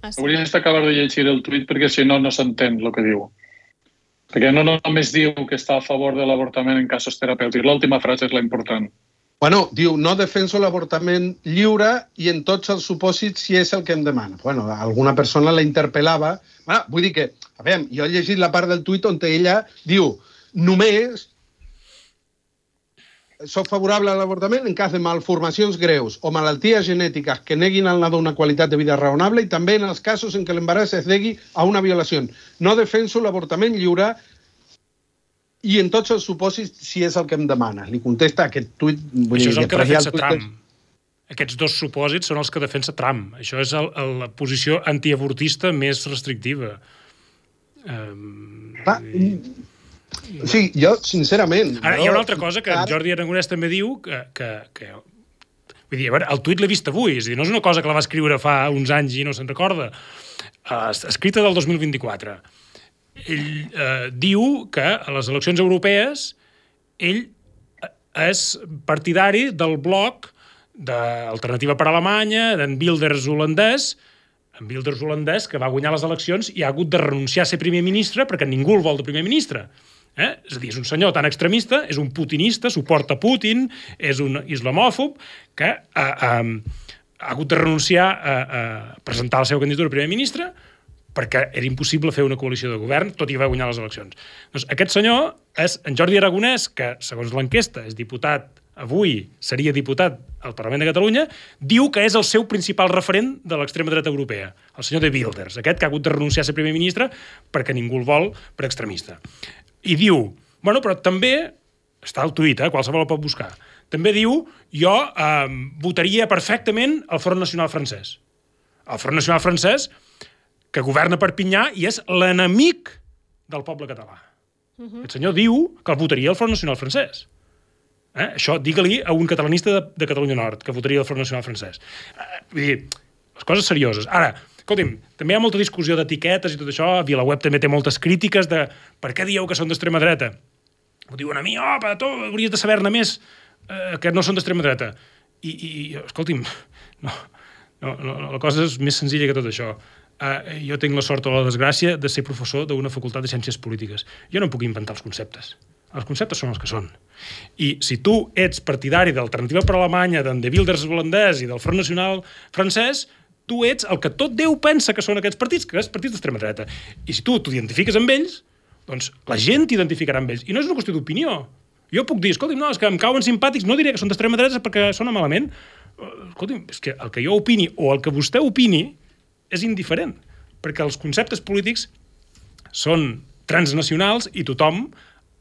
Ah, sí. Hauries d'acabar de llegir el tuit perquè si no, no s'entén el que diu. Perquè no només diu que està a favor de l'avortament en casos terapèutics. L'última frase és la important. Bueno, diu, no defenso l'avortament lliure i en tots els supòsits si és el que em demana. Bueno, alguna persona la interpel·lava. Bueno, vull dir que, a veure, jo he llegit la part del tuit on ella diu, només soc favorable a l'avortament en cas de malformacions greus o malalties genètiques que neguin al nadó una qualitat de vida raonable i també en els casos en què l'embaràs es degui a una violació. No defenso l'avortament lliure i en tots els supòsits si és el que em demanes. Li contesta aquest tuit... Això és el que defensa Trump. Aquests dos supòsits són els que defensa Trump. Això és el, el, la posició antiavortista més restrictiva. Um, Va, i... Sí, jo, sincerament... Ara, hi ha una altra cosa que en Jordi Aragonès també diu, que, que, que Vull dir, a veure, el tuit l'he vist avui, és a dir, no és una cosa que la va escriure fa uns anys i no se'n recorda. Uh, escrita del dos mil vint-i-quatre. Ell uh, diu que a les eleccions europees ell és partidari del bloc d'Alternativa per Alemanya, d'en Wilders holandès, en Wilders holandès que va guanyar les eleccions i ha hagut de renunciar a ser primer ministre perquè ningú el vol de primer ministre. Eh? És a dir, és un senyor tan extremista, és un putinista, suporta Putin, és un islamòfob, que eh, eh, ha hagut de renunciar a, a presentar la seva candidatura a primer ministre perquè era impossible fer una coalició de govern, tot i va guanyar les eleccions. Doncs aquest senyor és en Jordi Aragonès, que, segons l'enquesta, és diputat, avui seria diputat al Parlament de Catalunya, diu que és el seu principal referent de l'extrema dreta europea, el senyor de Wilders, aquest que ha hagut de renunciar a ser primer ministre perquè ningú el vol per extremista. I diu, bueno, però també, està al tuit, eh, qualsevol el pot buscar, també diu, jo eh, votaria perfectament el Front Nacional francès. El Front Nacional francès, que governa Perpinyà i és l'enemic del poble català. Uh-huh. El senyor diu que el votaria el Front Nacional francès. Eh? Això digue-li a un catalanista de, de Catalunya Nord, que votaria el Front Nacional francès. Eh, vull dir, les coses serioses. Ara, escolti'm, també hi ha molta discussió d'etiquetes i tot això, VilaWeb també té moltes crítiques de per què dieu que són d'extrema dreta. Ho diuen a mi, oh, però tu hauries de saber-ne més eh, que no són d'extrema dreta. I, i escolti'm, no, no, no, la cosa és més senzilla que tot això. Uh, jo tinc la sort o la desgràcia de ser professor d'una facultat de ciències polítiques. Jo no puc inventar els conceptes. Els conceptes són els que són. I si tu ets partidari d'Alternativa per Alemanya, d'en de Wilders holandès i del Front Nacional francès, tu ets el que tot Déu pensa que són aquests partits, que és partits d'extrema dreta. I si tu t'identifiques amb ells, doncs la gent t'identificarà amb ells. I no és una qüestió d'opinió. Jo puc dir, escolti'm, no, és que em cauen simpàtics, no diré que són d'extrema dreta perquè sona malament. Escolti'm, és que el que jo opini o el que vostè opini és indiferent, perquè els conceptes polítics són transnacionals i tothom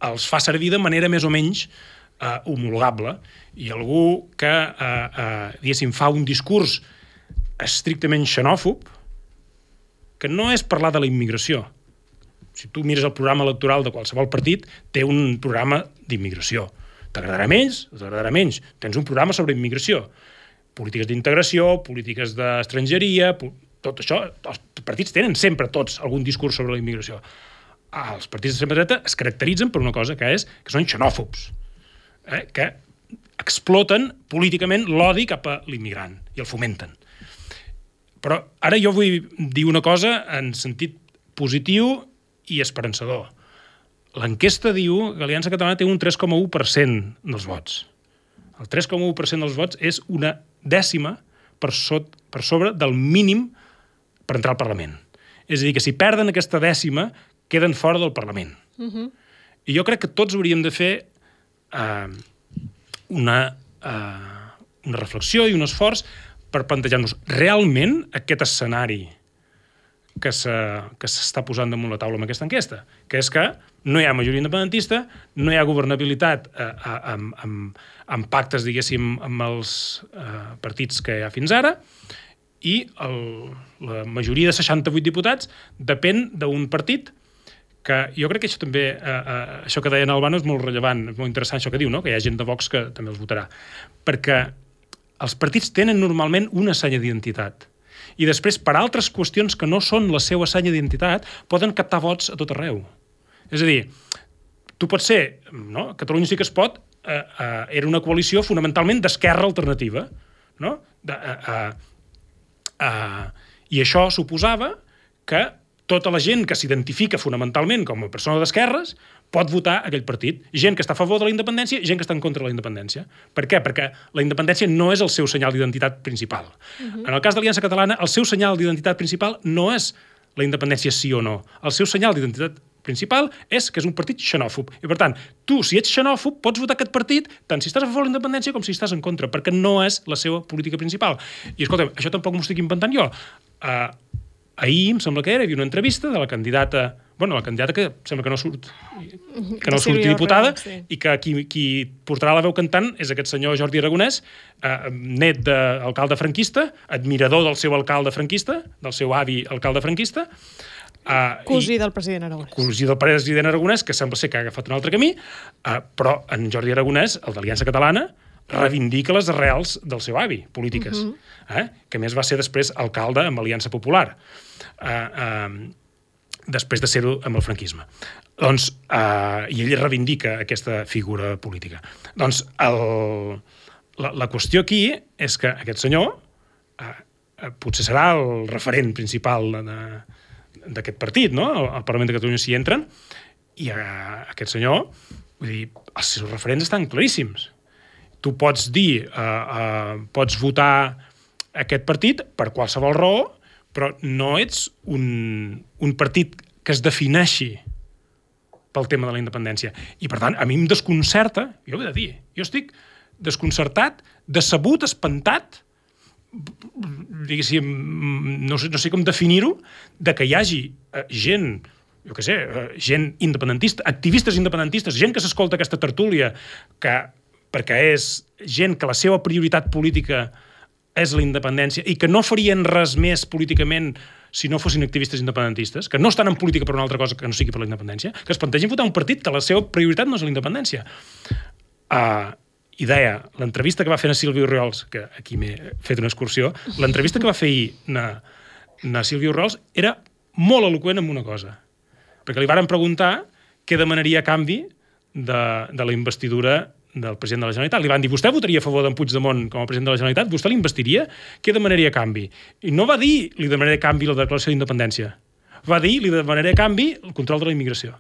els fa servir de manera més o menys eh, homologable. I algú que, eh, eh, diguéssim, fa un discurs estrictament xenòfob, que no és parlar de la immigració. Si tu mires el programa electoral de qualsevol partit, té un programa d'immigració. T'agradarà menys? T'agradarà menys. Tens un programa sobre immigració. Polítiques d'integració, polítiques d'estrangeria, tot això, els partits tenen sempre tots algun discurs sobre la immigració. Els partits d'extrema dreta es caracteritzen per una cosa que és que són xenòfobs, eh? que exploten políticament l'odi cap a l'immigrant i el fomenten. Però ara jo vull dir una cosa en sentit positiu i esperançador. L'enquesta diu que l'Aliança Catalana té un tres coma u per cent dels vots. El tres coma u per cent dels vots és una dècima per, sot, per sobre del mínim per entrar al Parlament. És a dir, que si perden aquesta dècima, queden fora del Parlament. Uh-huh. I jo crec que tots hauríem de fer eh, una, eh, una reflexió i un esforç per plantejar-nos realment aquest escenari que s'està posant damunt la taula amb aquesta enquesta, que és que no hi ha majoria independentista, no hi ha governabilitat eh, amb, amb, amb pactes, diguéssim, amb els eh, partits que hi ha fins ara, i el, la majoria de seixanta-vuit diputats depèn d'un partit que jo crec que això també, eh, eh, això que deia en Albano és molt rellevant, és molt interessant això que diu, no? Que hi ha gent de Vox que també els votarà. Perquè els partits tenen normalment una senya d'identitat. I després, per altres qüestions que no són la seva senya d'identitat, poden captar vots a tot arreu. És a dir, tu pots ser, no? Catalunya sí que es pot, eh, eh, era una coalició fonamentalment d'esquerra alternativa, no? De, eh, eh, Uh, I això suposava que tota la gent que s'identifica fonamentalment com a persona d'esquerres pot votar aquell partit. Gent que està a favor de la independència i gent que està en contra de la independència. Per què? Perquè la independència no és el seu senyal d'identitat principal. Uh-huh. En el cas de l'Aliança Catalana, el seu senyal d'identitat principal no és la independència sí o no. El seu senyal d'identitat principal és que és un partit xenòfob. I, per tant, tu, si ets xenòfob, pots votar aquest partit tant si estàs a favor de la independència com si estàs en contra, perquè no és la seva política principal. I, escolta, això tampoc m'ho estic inventant jo. Uh, ahir, em sembla que era, hi havia una entrevista de la candidata, bueno, la candidata que sembla que no surt, que no surti diputada, sí. I que qui, qui portarà la veu cantant és aquest senyor Jordi Aragonès, uh, net d'alcalde franquista, admirador del seu alcalde franquista, del seu avi alcalde franquista, Uh, cosí del president Aragonès. Cosí del president Aragonès, que sembla ser que ha agafat un altre camí, uh, però en Jordi Aragonès, el d'Aliança Catalana, reivindica les arrels del seu avi, polítiques, uh -huh. eh? que a més va ser després alcalde amb Aliança Popular, eh, eh, després de ser-ho amb el franquisme. Doncs, eh, i ell reivindica aquesta figura política. Doncs el, la, la qüestió aquí és que aquest senyor eh, potser serà el referent principal d'aquest partit, no? Al Parlament de Catalunya s'hi entren, i eh, aquest senyor, vull dir, els seus referents estan claríssims. Tu pots dir, eh, eh, pots votar aquest partit per qualsevol raó, però no ets un, un partit que es defineixi pel tema de la independència. I, per tant, a mi em desconcerta, jo ho he de dir, jo estic desconcertat, decebut, espantat, diguéssim, no sé, no sé com definir-ho, de que hi hagi eh, gent, jo què sé, eh, gent independentista, activistes independentistes, gent que s'escolta aquesta tertúlia, que, perquè és gent que la seva prioritat política és la independència i que no farien res més políticament si no fossin activistes independentistes, que no estan en política per una altra cosa que no sigui per la independència, que es plantegin votar un partit que la seva prioritat no és la independència. Uh, I deia, l'entrevista que va fer a Sílvia Orriols, que aquí m'he fet una excursió, l'entrevista que va fer ahir na, na Sílvia Orriols era molt eloqüent en una cosa, perquè li varen preguntar què demanaria a canvi de, de la investidura del president de la Generalitat. Li van dir, vostè votaria a favor d'en Puigdemont com a president de la Generalitat? Vostè l'investiria? Què demanaria a canvi? I no va dir, li demanaré a canvi la declaració d'independència. Va dir, li demanaré a canvi el control de la immigració.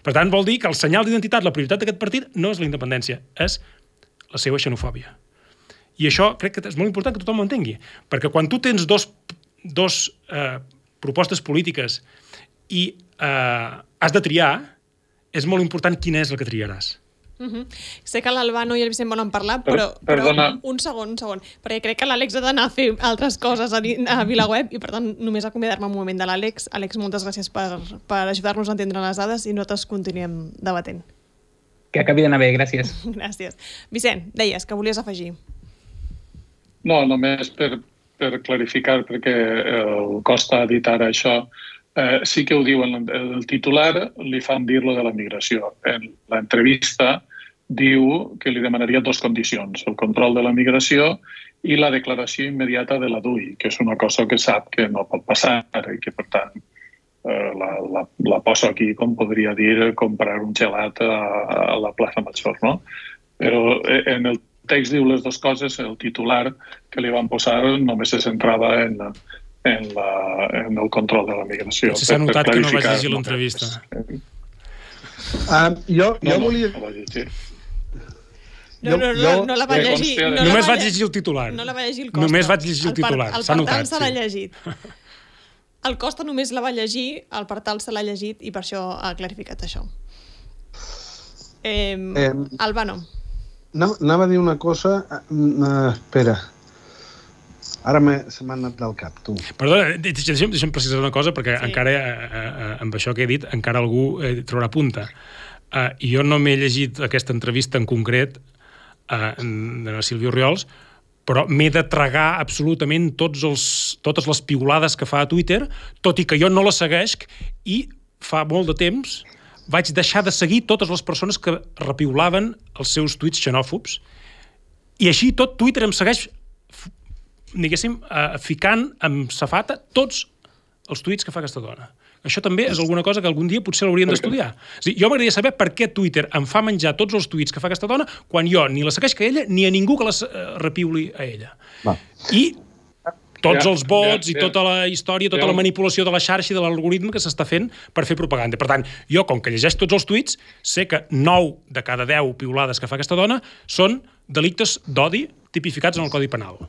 Per tant, vol dir que el senyal d'identitat, la prioritat d'aquest partit, no és la independència, és la seva xenofòbia. I això crec que és molt important que tothom ho entengui, perquè quan tu tens dos, dos eh, propostes polítiques i eh, has de triar, és molt important quina és la que triaràs. Uh-huh. Sé que l'Albano i el Vicent volen parlar, però, però un segon, un segon, perquè crec que l'Àlex ha d'anar a fer altres coses a, a VilaWeb i per tant només acomiadar-me un moment de l'Àlex. Àlex, moltes gràcies per, per ajudar-nos a entendre les dades i nosaltres continuem debatent. Que acabi d'anar bé, gràcies. Gràcies. Vicent, deies que volies afegir. No, només per, per clarificar, perquè el costa editar això. Eh, sí que ho diu en el titular, li fan dir-lo de la migració. En l'entrevista diu que li demanaria dues condicions, el control de la migració i la declaració immediata de la D U I, que és una cosa que sap que no pot passar i que, per tant, eh, la, la, la poso aquí, com podria dir, comprar un gelat a, a la plaça Major, no? Però en el text diu les dues coses, el titular que li van posar només se centrava en... En, la, en el control de la migració. Si s'ha notat que no vaig llegir l'entrevista. Uh, jo, jo no, volia... No, no, no, no, no la va llegir. No Només va vaig llegir el titular. No la va llegir el Costa. Només vaig llegir el titular. El Partal se l'ha llegit. El Costa només la va llegir, el Partal se l'ha llegit i per això ha clarificat això. Eh, eh, Albano. Anava a dir una cosa... Uh, espera... Ara se m'ha anat del cap, tu. Perdona, deixa'm, deixa'm precisar una cosa, perquè sí. encara, eh, eh, amb això que he dit, encara algú eh, trobarà punta. Eh, jo no m'he llegit aquesta entrevista en concret eh, de la Sílvia Orriols, però m'he de tragar absolutament tots els, totes les piulades que fa a Twitter, tot i que jo no la segueixo, i fa molt de temps vaig deixar de seguir totes les persones que repiulaven els seus tuits xenòfobs, i així tot Twitter em segueix diguéssim, eh, ficant amb safata tots els tuits que fa aquesta dona. Això també és alguna cosa que algun dia potser l'haurien d'estudiar. O sigui, jo m'agradaria saber per què Twitter em fa menjar tots els tuits que fa aquesta dona quan jo ni la segueix que ella ni a ningú que la uh, repiuli a ella. Va. I tots ja, els vots ja, ja, i tota la història, tota ja. la manipulació de la xarxa i de l'algoritme que s'està fent per fer propaganda. Per tant, jo, com que llegeix tots els tuits, sé que nou de cada deu piulades que fa aquesta dona són delictes d'odi tipificats en el Codi Penal.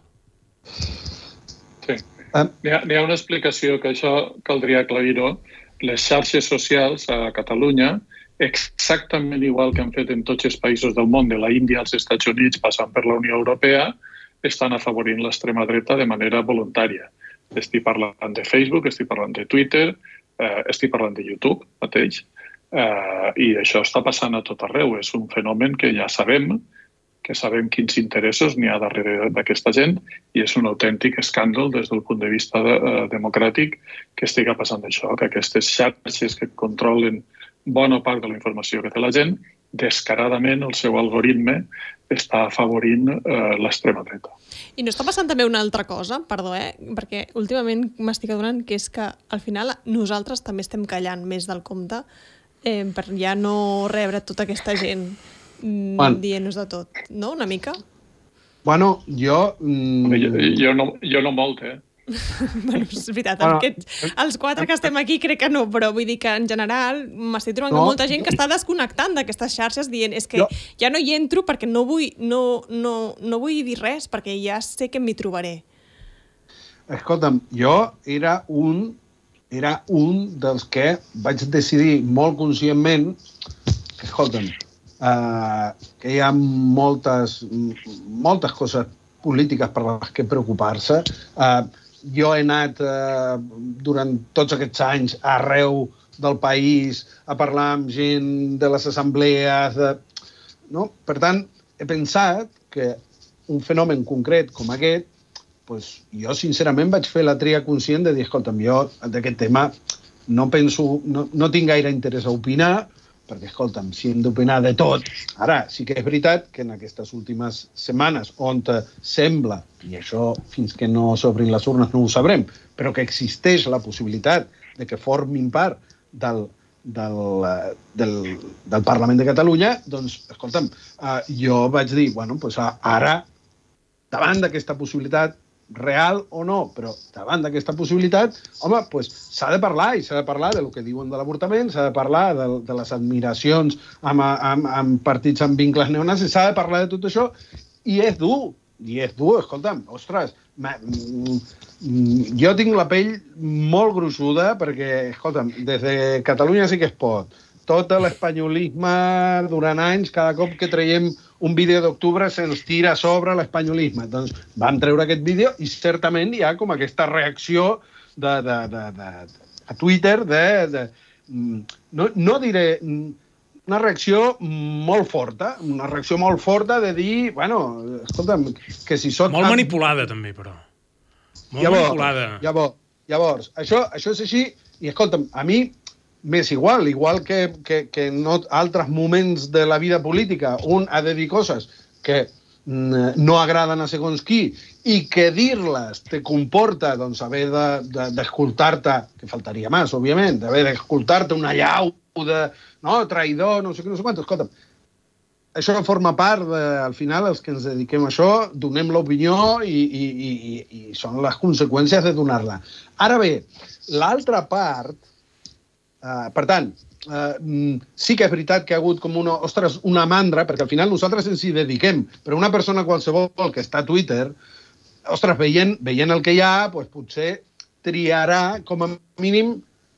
Sí. N'hi ha, ha una explicació que això caldria aclarir-ho. Les xarxes socials a Catalunya, exactament igual que han fet en tots els països del món, de la Índia als Estats Units, passant per la Unió Europea, estan afavorint l'extrema dreta de manera voluntària. Estic parlant de Facebook, estic parlant de Twitter, eh, estic parlant de YouTube mateix, eh, i això està passant a tot arreu. És un fenomen que ja sabem, que sabem quins interessos n'hi ha darrere d'aquesta gent, i és un autèntic escàndol des del punt de vista de, uh, democràtic que estigui passant això, que aquestes xarxes que controlen bona part de la informació que té la gent, descaradament el seu algoritme està afavorint eh, l'extrema dreta. I no està passant també una altra cosa, perdó, eh? Perquè últimament m'estic adonant que és que al final nosaltres també estem callant més del compte eh, per ja no rebre tota aquesta gent mm, bueno. dient-nos de tot, no? Una mica? Bueno, jo... Mm... Jo, jo, no, jo no molt, eh? bueno, és veritat, bueno, aquests, els quatre que estem aquí crec que no, però vull dir que en general m'estic trobant no. molta gent que està desconnectant d'aquestes xarxes dient és que jo... ja no hi entro perquè no vull, no, no, no vull dir res perquè ja sé que m'hi trobaré. Escolta'm, jo era un, era un dels que vaig decidir molt conscientment que, escolta'm, uh, que hi ha moltes, moltes coses polítiques per les que preocupar-se. Uh, jo he anat eh, durant tots aquests anys arreu del país a parlar amb gent de les assemblees. De... No? Per tant, he pensat que un fenomen concret com aquest, pues, jo sincerament vaig fer la tria conscient de dir, escolta'm, jo d'aquest tema no penso, no, no tinc gaire interès a opinar, perquè, escolta'm, si hem d'opinar de tot... Ara, sí que és veritat que en aquestes últimes setmanes, on sembla, i això fins que no s'obrin les urnes no ho sabrem, però que existeix la possibilitat de que formin part del, del, del, del Parlament de Catalunya, doncs, escolta'm, jo vaig dir, bueno, doncs ara, davant d'aquesta possibilitat, real o no, però davant d'aquesta possibilitat, home, pues, s'ha de parlar, i s'ha de parlar de lo que diuen de l'avortament, s'ha de parlar de, de les admiracions amb, amb, amb partits amb vincles neonazis, s'ha de parlar de tot això, i és dur, i és dur, escolta'm, ostres, ma, mm, jo tinc la pell molt gruixuda, perquè, escolta'm, des de Catalunya sí que es pot, tot l'espanyolisme durant anys, cada cop que traiem un vídeo d'octubre se'ns tira a sobre l'espanyolisme. Doncs vam treure aquest vídeo i certament hi ha com aquesta reacció de, de, de, de, a Twitter de... de no, no diré... Una reacció molt forta, una reacció molt forta de dir, bueno, escolta'm, que si sóc... Molt manipulada, també, però. Molt llavors, manipulada. Llavors, llavors això, això és així, i escolta'm, a mi m'és igual, igual que, que, que en altres moments de la vida política un ha de dir coses que no agraden a segons qui i que dir-les te comporta doncs, haver d'escoltar-te, de, de, que faltaria més, òbviament, d'haver d'escoltar-te una llau de no, traïdor, no sé què, no sé quant. Escolta'm, això forma part, de, al final, els que ens dediquem a això, donem l'opinió i, i, i, i són les conseqüències de donar-la. Ara bé, l'altra part, Uh, per tant, uh, sí que és veritat que ha hagut com una, ostres, una mandra, perquè al final nosaltres ens hi dediquem, però una persona qualsevol que està a Twitter, ostres, veient, veient el que hi ha, doncs potser triarà com a mínim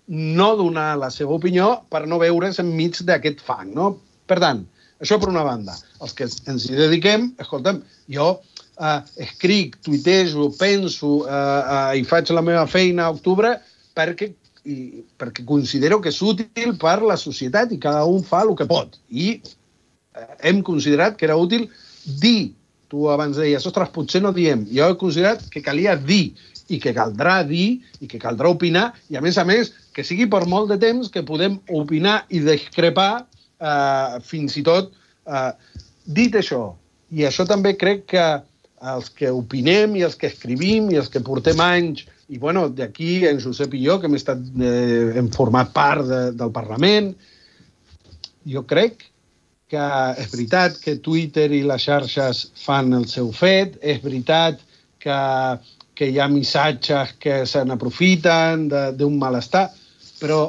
no donar la seva opinió per no veure's enmig d'aquest fang, no? Per tant, això per una banda. Els que ens hi dediquem, escolta'm, jo uh, escric, tuitejo, penso uh, uh, i faig la meva feina a octubre perquè i perquè considero que és útil per la societat i cada un fa el que pot. I eh, hem considerat que era útil dir. Tu abans deies, ostres, potser no diem. Jo he considerat que calia dir i que caldrà dir i que caldrà opinar i, a més a més, que sigui per molt de temps que podem opinar i discrepar eh, fins i tot. Eh, dit això, i això també crec que els que opinem i els que escrivim i els que portem anys i, bueno, d'aquí, en Josep i jo, que hem, estat, eh, hem format part de, del Parlament, jo crec que és veritat que Twitter i les xarxes fan el seu fet, és veritat que, que hi ha missatges que se n'aprofiten d'un malestar, però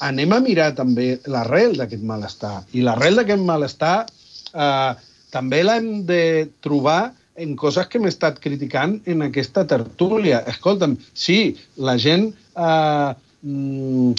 anem a mirar també l'arrel d'aquest malestar. I l'arrel d'aquest malestar eh, també l'hem de trobar en coses que m'he estat criticant en aquesta tertúlia. Escolta'm, sí, la gent eh, mm,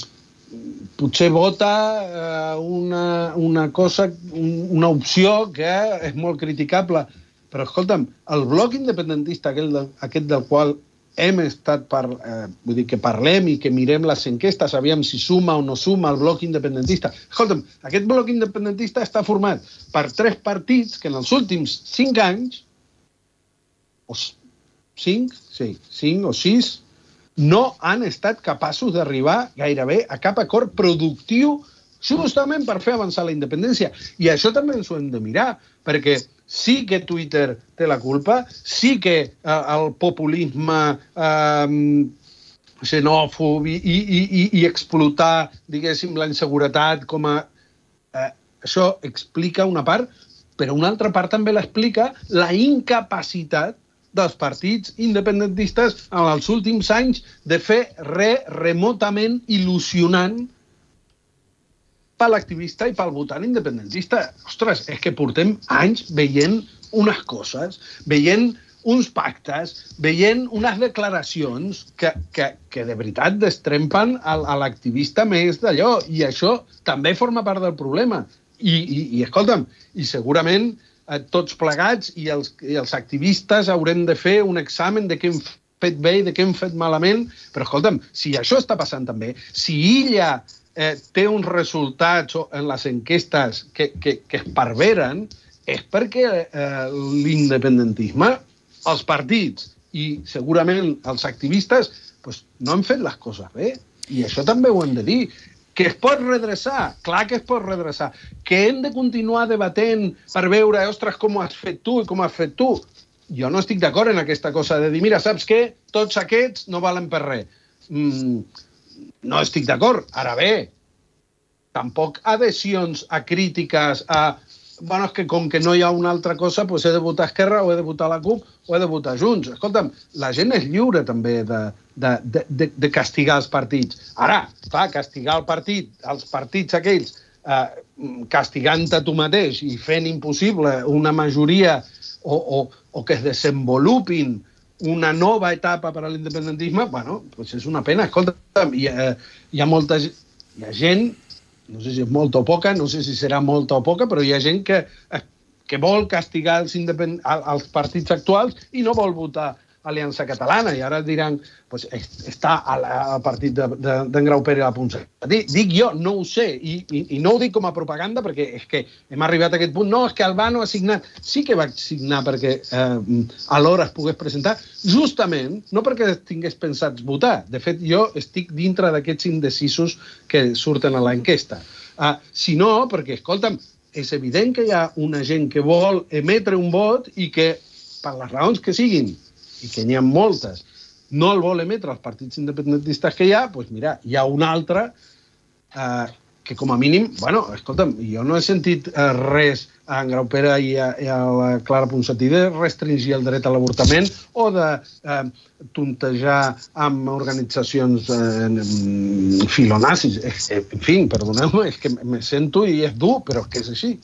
potser vota eh, una, una cosa, un, una opció que és molt criticable, però escolta'm, el bloc independentista, aquest del, aquest del qual hem estat, par, eh, vull dir que parlem i que mirem les enquestes, aviam si suma o no suma el bloc independentista. Escolta'm, aquest bloc independentista està format per tres partits que en els últims cinc anys o cinc, sí, cinc o sis, no han estat capaços d'arribar gairebé a cap acord productiu justament per fer avançar la independència. I això també ens ho hem de mirar, perquè sí que Twitter té la culpa, sí que eh, el populisme eh, xenòfob i, i, i, i explotar, diguéssim, la inseguretat com a... Eh, això explica una part, però una altra part també l'explica la incapacitat dels partits independentistes en els últims anys de fer res remotament il·lusionant per l'activista i pel votant independentista. Ostres, és que portem anys veient unes coses, veient uns pactes, veient unes declaracions que, que, que de veritat destrempen a, a l'activista més d'allò, i això també forma part del problema. I, i, i escolta'm, i segurament eh, tots plegats i els, i els activistes haurem de fer un examen de què hem fet bé i de què hem fet malament, però escolta'm, si això està passant també, si ella eh, té uns resultats en les enquestes que, que, que es perveren, és perquè eh, l'independentisme, els partits i segurament els activistes pues, no han fet les coses bé. I això també ho hem de dir. Que es pot redreçar, clar que es pot redreçar. Que hem de continuar debatent per veure, ostres, com ho has fet tu i com ho has fet tu. Jo no estic d'acord en aquesta cosa de dir, mira, saps què? Tots aquests no valen per res. Mm, no estic d'acord. Ara bé, tampoc adhesions a crítiques, a... Bueno, és que com que no hi ha una altra cosa, doncs he de votar Esquerra o he de votar la CUP o he de votar Junts. Escolta'm, la gent és lliure també de, de, de, de castigar els partits. Ara, clar, castigar el partit, els partits aquells, eh, castigant-te tu mateix i fent impossible una majoria o, o, o que es desenvolupin una nova etapa per a l'independentisme, bueno, doncs és una pena. Escolta'm, hi ha, hi ha molta hi ha gent... no sé si és molta o poca, no sé si serà molta o poca, però hi ha gent que, que vol castigar els, independ... els partits actuals i no vol votar Aliança Catalana. I ara diran, pues, està al partit d'en de, de, Grau Pérez a la punta. Dic jo, no ho sé, i, i, i no ho dic com a propaganda, perquè és que hem arribat a aquest punt. No, és que Albano ha signat. Sí que va signar perquè eh, alhora es pogués presentar, justament, no perquè tingués pensat votar. De fet, jo estic dintre d'aquests indecisos que surten a l'enquesta. Uh, sinó perquè, escolta'm, és evident que hi ha una gent que vol emetre un vot i que, per les raons que siguin, i que n'hi ha moltes, no el vol emetre els partits independentistes que hi ha, doncs mira, hi ha un altre eh, que com a mínim, bueno, escolta'm, jo no he sentit eh, res a en Grau Pere i a, i a la Clara Ponsatí de restringir el dret a l'avortament o de eh, tontejar amb organitzacions eh, filonazis. En fi, perdoneu-me, és que me sento i és dur, però és que és així.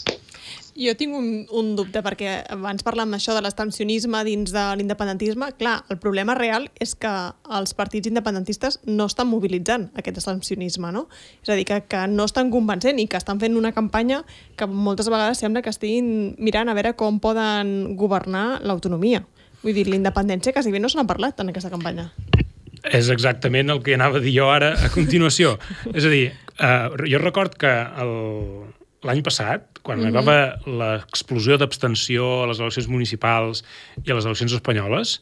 Jo tinc un, un dubte, perquè abans parlàvem això de l'extensionisme dins de l'independentisme. Clar, el problema real és que els partits independentistes no estan mobilitzant aquest extensionisme, no? És a dir, que, que no estan convencent i que estan fent una campanya que moltes vegades sembla que estiguin mirant a veure com poden governar l'autonomia. Vull dir, l'independència quasi bé no se n'ha parlat en aquesta campanya. És exactament el que anava a dir jo ara a continuació. És a dir, eh, jo record que el... l'any passat, quan mm-hmm. hi va haver l'explosió d'abstenció a les eleccions municipals i a les eleccions espanyoles,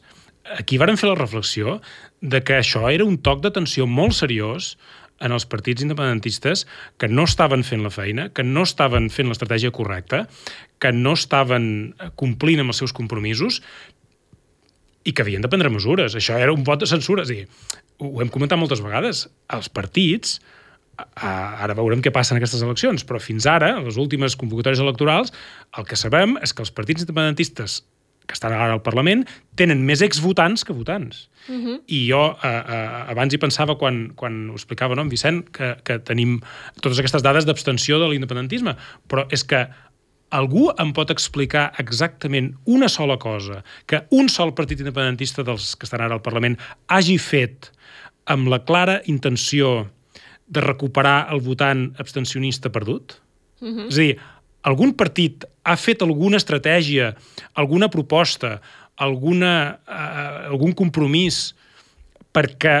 aquí varen fer la reflexió de que això era un toc d'atenció molt seriós en els partits independentistes que no estaven fent la feina, que no estaven fent l'estratègia correcta, que no estaven complint amb els seus compromisos i que havien de prendre mesures. Això era un vot de censura. És a dir, ho hem comentat moltes vegades. Els partits... ara veurem què passa en aquestes eleccions, però fins ara, a les últimes convocatòries electorals, el que sabem és que els partits independentistes que estan ara al Parlament tenen més exvotants que votants. Uh-huh. I jo eh, eh, abans hi pensava quan, quan ho explicava, no, en Vicent, que, que tenim totes aquestes dades d'abstenció de l'independentisme, però és que algú em pot explicar exactament una sola cosa que un sol partit independentista dels que estan ara al Parlament hagi fet amb la clara intenció de recuperar el votant abstencionista perdut? Uh-huh. És a dir, algun partit ha fet alguna estratègia, alguna proposta, alguna, uh, algun compromís perquè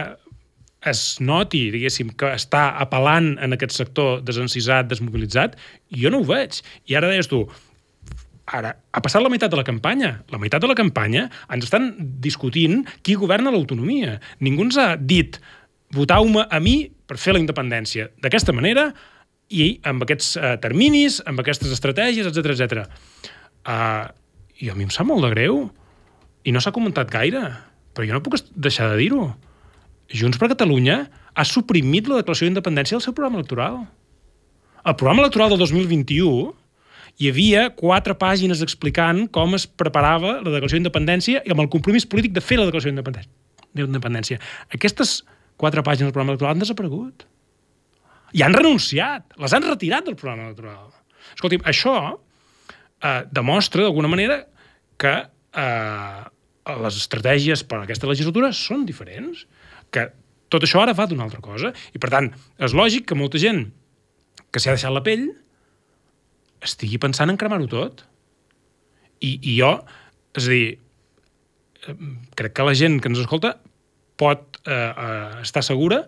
es noti, diguéssim, que està apel·lant en aquest sector desencisat, desmobilitzat? Jo no ho veig. I ara deies tu, ara, ha passat la meitat de la campanya. La meitat de la campanya ens estan discutint qui governa l'autonomia. Ningú ens ha dit votau-me a mi per fer la independència d'aquesta manera i amb aquests uh, terminis, amb aquestes estratègies, etcètera, etcètera. Uh, i a mi em sap molt de greu, i no s'ha comentat gaire, però jo no puc deixar de dir-ho. Junts per Catalunya ha suprimit la declaració d'independència del seu programa electoral. Al programa electoral del dos mil vint-i-u hi havia quatre pàgines explicant com es preparava la declaració d'independència i amb el compromís polític de fer la declaració d'independència. Aquestes quatre pàgines del programa electoral han desaparegut. I han renunciat, les han retirat del programa electoral. Escolti'm, això eh, demostra d'alguna manera que eh, les estratègies per a aquesta legislatura són diferents, que tot això ara va d'una altra cosa. I, per tant, és lògic que molta gent que s'ha deixat la pell estigui pensant en cremar-ho tot. I, I jo, és a dir, crec que la gent que ens escolta pot eh, eh, estar segura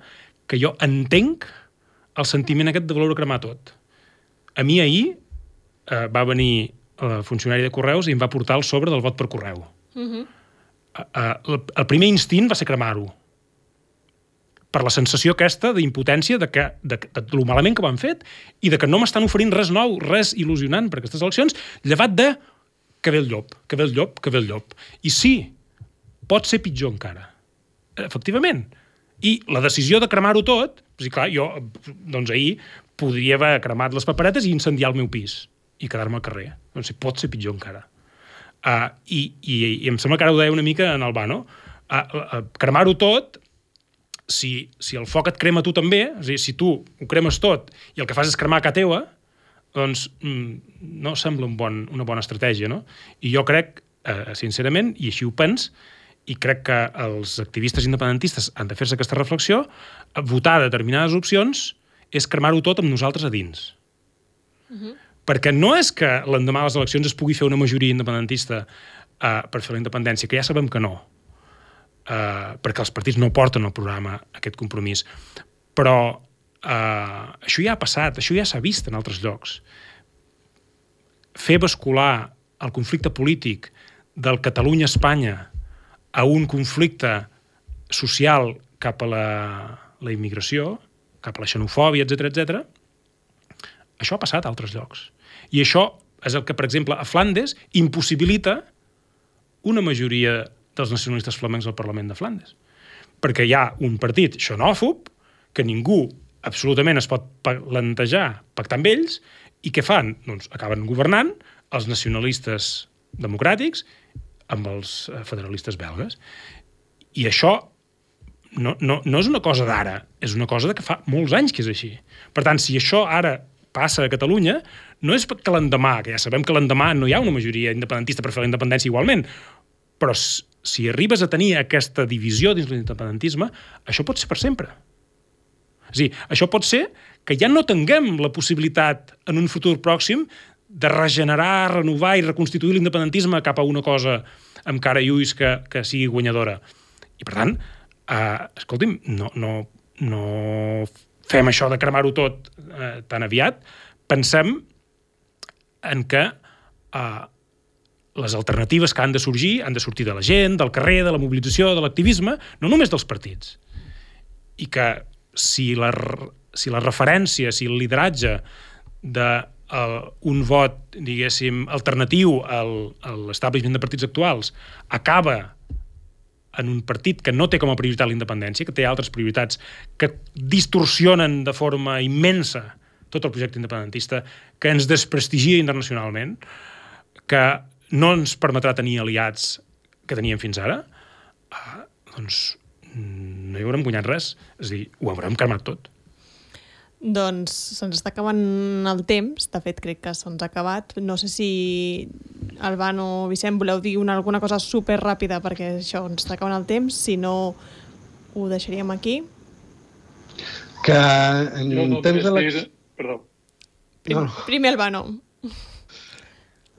que jo entenc el sentiment aquest de voler cremar tot. A mi ahir eh, va venir el funcionari de Correus i em va portar el sobre del vot per correu. Uh-huh. eh, eh, el, el primer instint va ser cremar-ho, per la sensació aquesta d'impotència de, que, de, de, de lo malament que ho han fet i de que no m'estan oferint res nou, res il·lusionant per aquestes eleccions, llevat de que ve el llop, que ve el llop, que ve el llop. I sí, pot ser pitjor encara. Efectivament. I la decisió de cremar-ho tot, doncs, clar, jo doncs, ahir podria haver cremat les paperetes i incendiar el meu pis i quedar-me al carrer. Doncs pot ser pitjor encara. Uh, i, i, I em sembla que ara ho deia una mica en Albano. Uh, uh, cremar-ho tot, Si, si el foc et crema tu també, és a dir, si tu ho cremes tot i el que fas és cremar a casa teva, doncs no sembla un bon, una bona estratègia, no? I jo crec, eh, sincerament, i així ho pens, i crec que els activistes independentistes han de fer-se aquesta reflexió, votar determinades opcions és cremar-ho tot amb nosaltres a dins. Uh-huh. Perquè no és que l'endemà de les eleccions es pugui fer una majoria independentista eh, per fer la independència, que ja sabem que no. Uh, perquè els partits no porten al programa aquest compromís. Però uh, això ja ha passat, això ja s'ha vist en altres llocs. Fer bascular el conflicte polític del Catalunya-Espanya a un conflicte social cap a la, la immigració, cap a la xenofòbia, etcètera, etcètera, això ha passat a altres llocs. I això és el que, per exemple, a Flandes impossibilita una majoria dels nacionalistes flamencs al Parlament de Flandes. Perquè hi ha un partit xenòfob que ningú absolutament es pot plantejar pactar amb ells i què fan? Doncs acaben governant els nacionalistes democràtics amb els federalistes belgues. I això no, no, no és una cosa d'ara, és una cosa de que fa molts anys que és així. Per tant, si això ara passa a Catalunya, no és que l'endemà, que ja sabem que l'endemà no hi ha una majoria independentista per fer la independència igualment, però si arribes a tenir aquesta divisió dins l'independentisme, això pot ser per sempre. És a dir, això pot ser que ja no tinguem la possibilitat en un futur pròxim de regenerar, renovar i reconstituir l'independentisme cap a una cosa amb cara i ulls que, que sigui guanyadora. I per tant, eh, escolti'm, no, no, no fem això de cremar-ho tot eh, tan aviat. Pensem en que eh, les alternatives que han de sorgir han de sortir de la gent, del carrer, de la mobilització, de l'activisme, no només dels partits. I que si la, si la referència, si el lideratge d'un vot, diguéssim, alternatiu al, a l'establishment de partits actuals acaba en un partit que no té com a prioritat la independència, que té altres prioritats que distorsionen de forma immensa tot el projecte independentista, que ens desprestigia internacionalment, que no ens permetrà tenir aliats que teníem fins ara, eh, doncs no hi haurem guanyat res. És a dir, ho haurem cremat tot. Doncs se'ns està acabant el temps. De fet, crec que se'ns ha acabat. No sé si Albano o Vicent voleu dir una, alguna cosa super ràpida perquè això ens està acabant el temps. Si no, ho deixaríem aquí. Que en no temps de dir... Perdó. Prim, no. Primer Albano.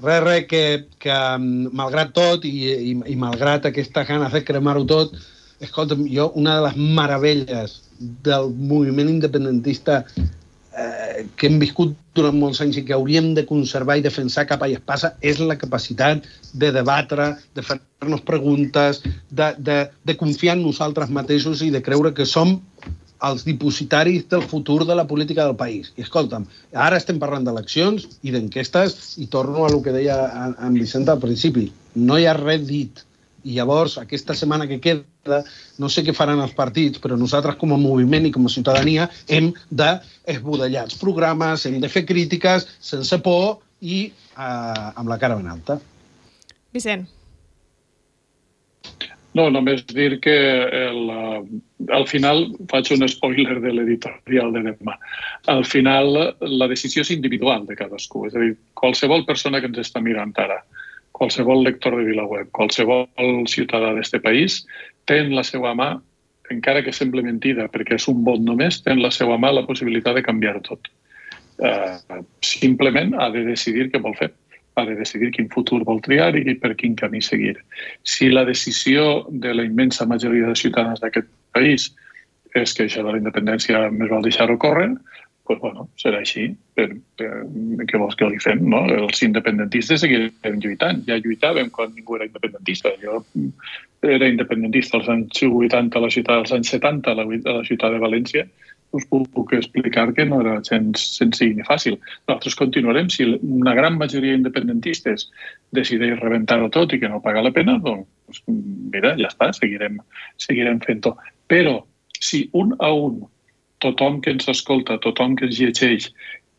Res, res, que, que malgrat tot i, i, i malgrat aquestes ganes de cremar-ho tot, escolta'm, jo, una de les meravelles del moviment independentista eh, que hem viscut durant molts anys i que hauríem de conservar i defensar capa i espasa és la capacitat de debatre, de fer-nos preguntes, de, de, de confiar en nosaltres mateixos i de creure que som els dipositaris del futur de la política del país. I escolta'm, ara estem parlant d'eleccions i d'enquestes i torno a el que deia en Vicent al principi. No hi ha res dit. I llavors, aquesta setmana que queda, no sé què faran els partits, però nosaltres com a moviment i com a ciutadania hem d'esbudellar els programes, hem de fer crítiques sense por i eh, amb la cara ben alta. Vicent. No, només dir que el, al final, faig un spoiler de l'editorial de demà, al final la decisió és individual de cadascú, és a dir, qualsevol persona que ens està mirant ara, qualsevol lector de VilaWeb, qualsevol ciutadà d'este país, té en la seva mà, encara que sembla mentida, perquè és un vot només, té en la seva mà la possibilitat de canviar tot. Uh, simplement ha de decidir què vol fer, ha de decidir quin futur vol triar i per quin camí seguir. Si la decisió de la immensa majoria de ciutadans d'aquest país és que això de la independència més val deixar-ho córrer, pues bueno, serà així. Per, per, què vols que li fem, no? Els independentistes seguirem lluitant. Ja lluitàvem quan ningú era independentista. Jo era independentista als anys vuitanta a la ciutat, als anys setanta a la, a la ciutat de València. Us puc explicar que no era gens senzill ni fàcil. Nosaltres continuarem. Si una gran majoria d'independentistes decideix rebentar-ho tot i que no paga la pena, doncs mira, ja està, seguirem, seguirem fent-ho. Però si un a un tothom que ens escolta, tothom que ens llegeix,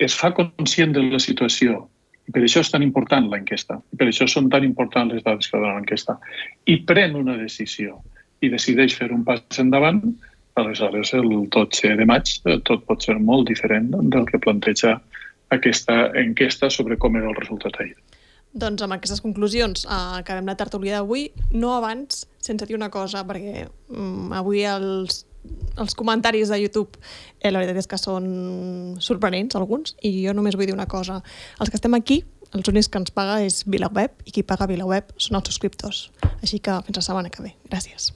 es fa conscient de la situació, i per això és tan important l'enquesta, i per això són tan importants les dades que donen l'enquesta, i pren una decisió i decideix fer un pas endavant, aleshores el dotze de maig tot pot ser molt diferent del que planteja aquesta enquesta sobre com era el resultat ahir. Doncs amb aquestes conclusions eh, acabem la tertúlia d'avui, no abans sense dir una cosa, perquè um, avui els els comentaris de YouTube, eh, la veritat és que són sorprenents, alguns, i jo només vull dir una cosa. Els que estem aquí, els únics que ens paga és VilaWeb, i qui paga VilaWeb són els subscriptors. Així que fins la setmana que ve. Gràcies.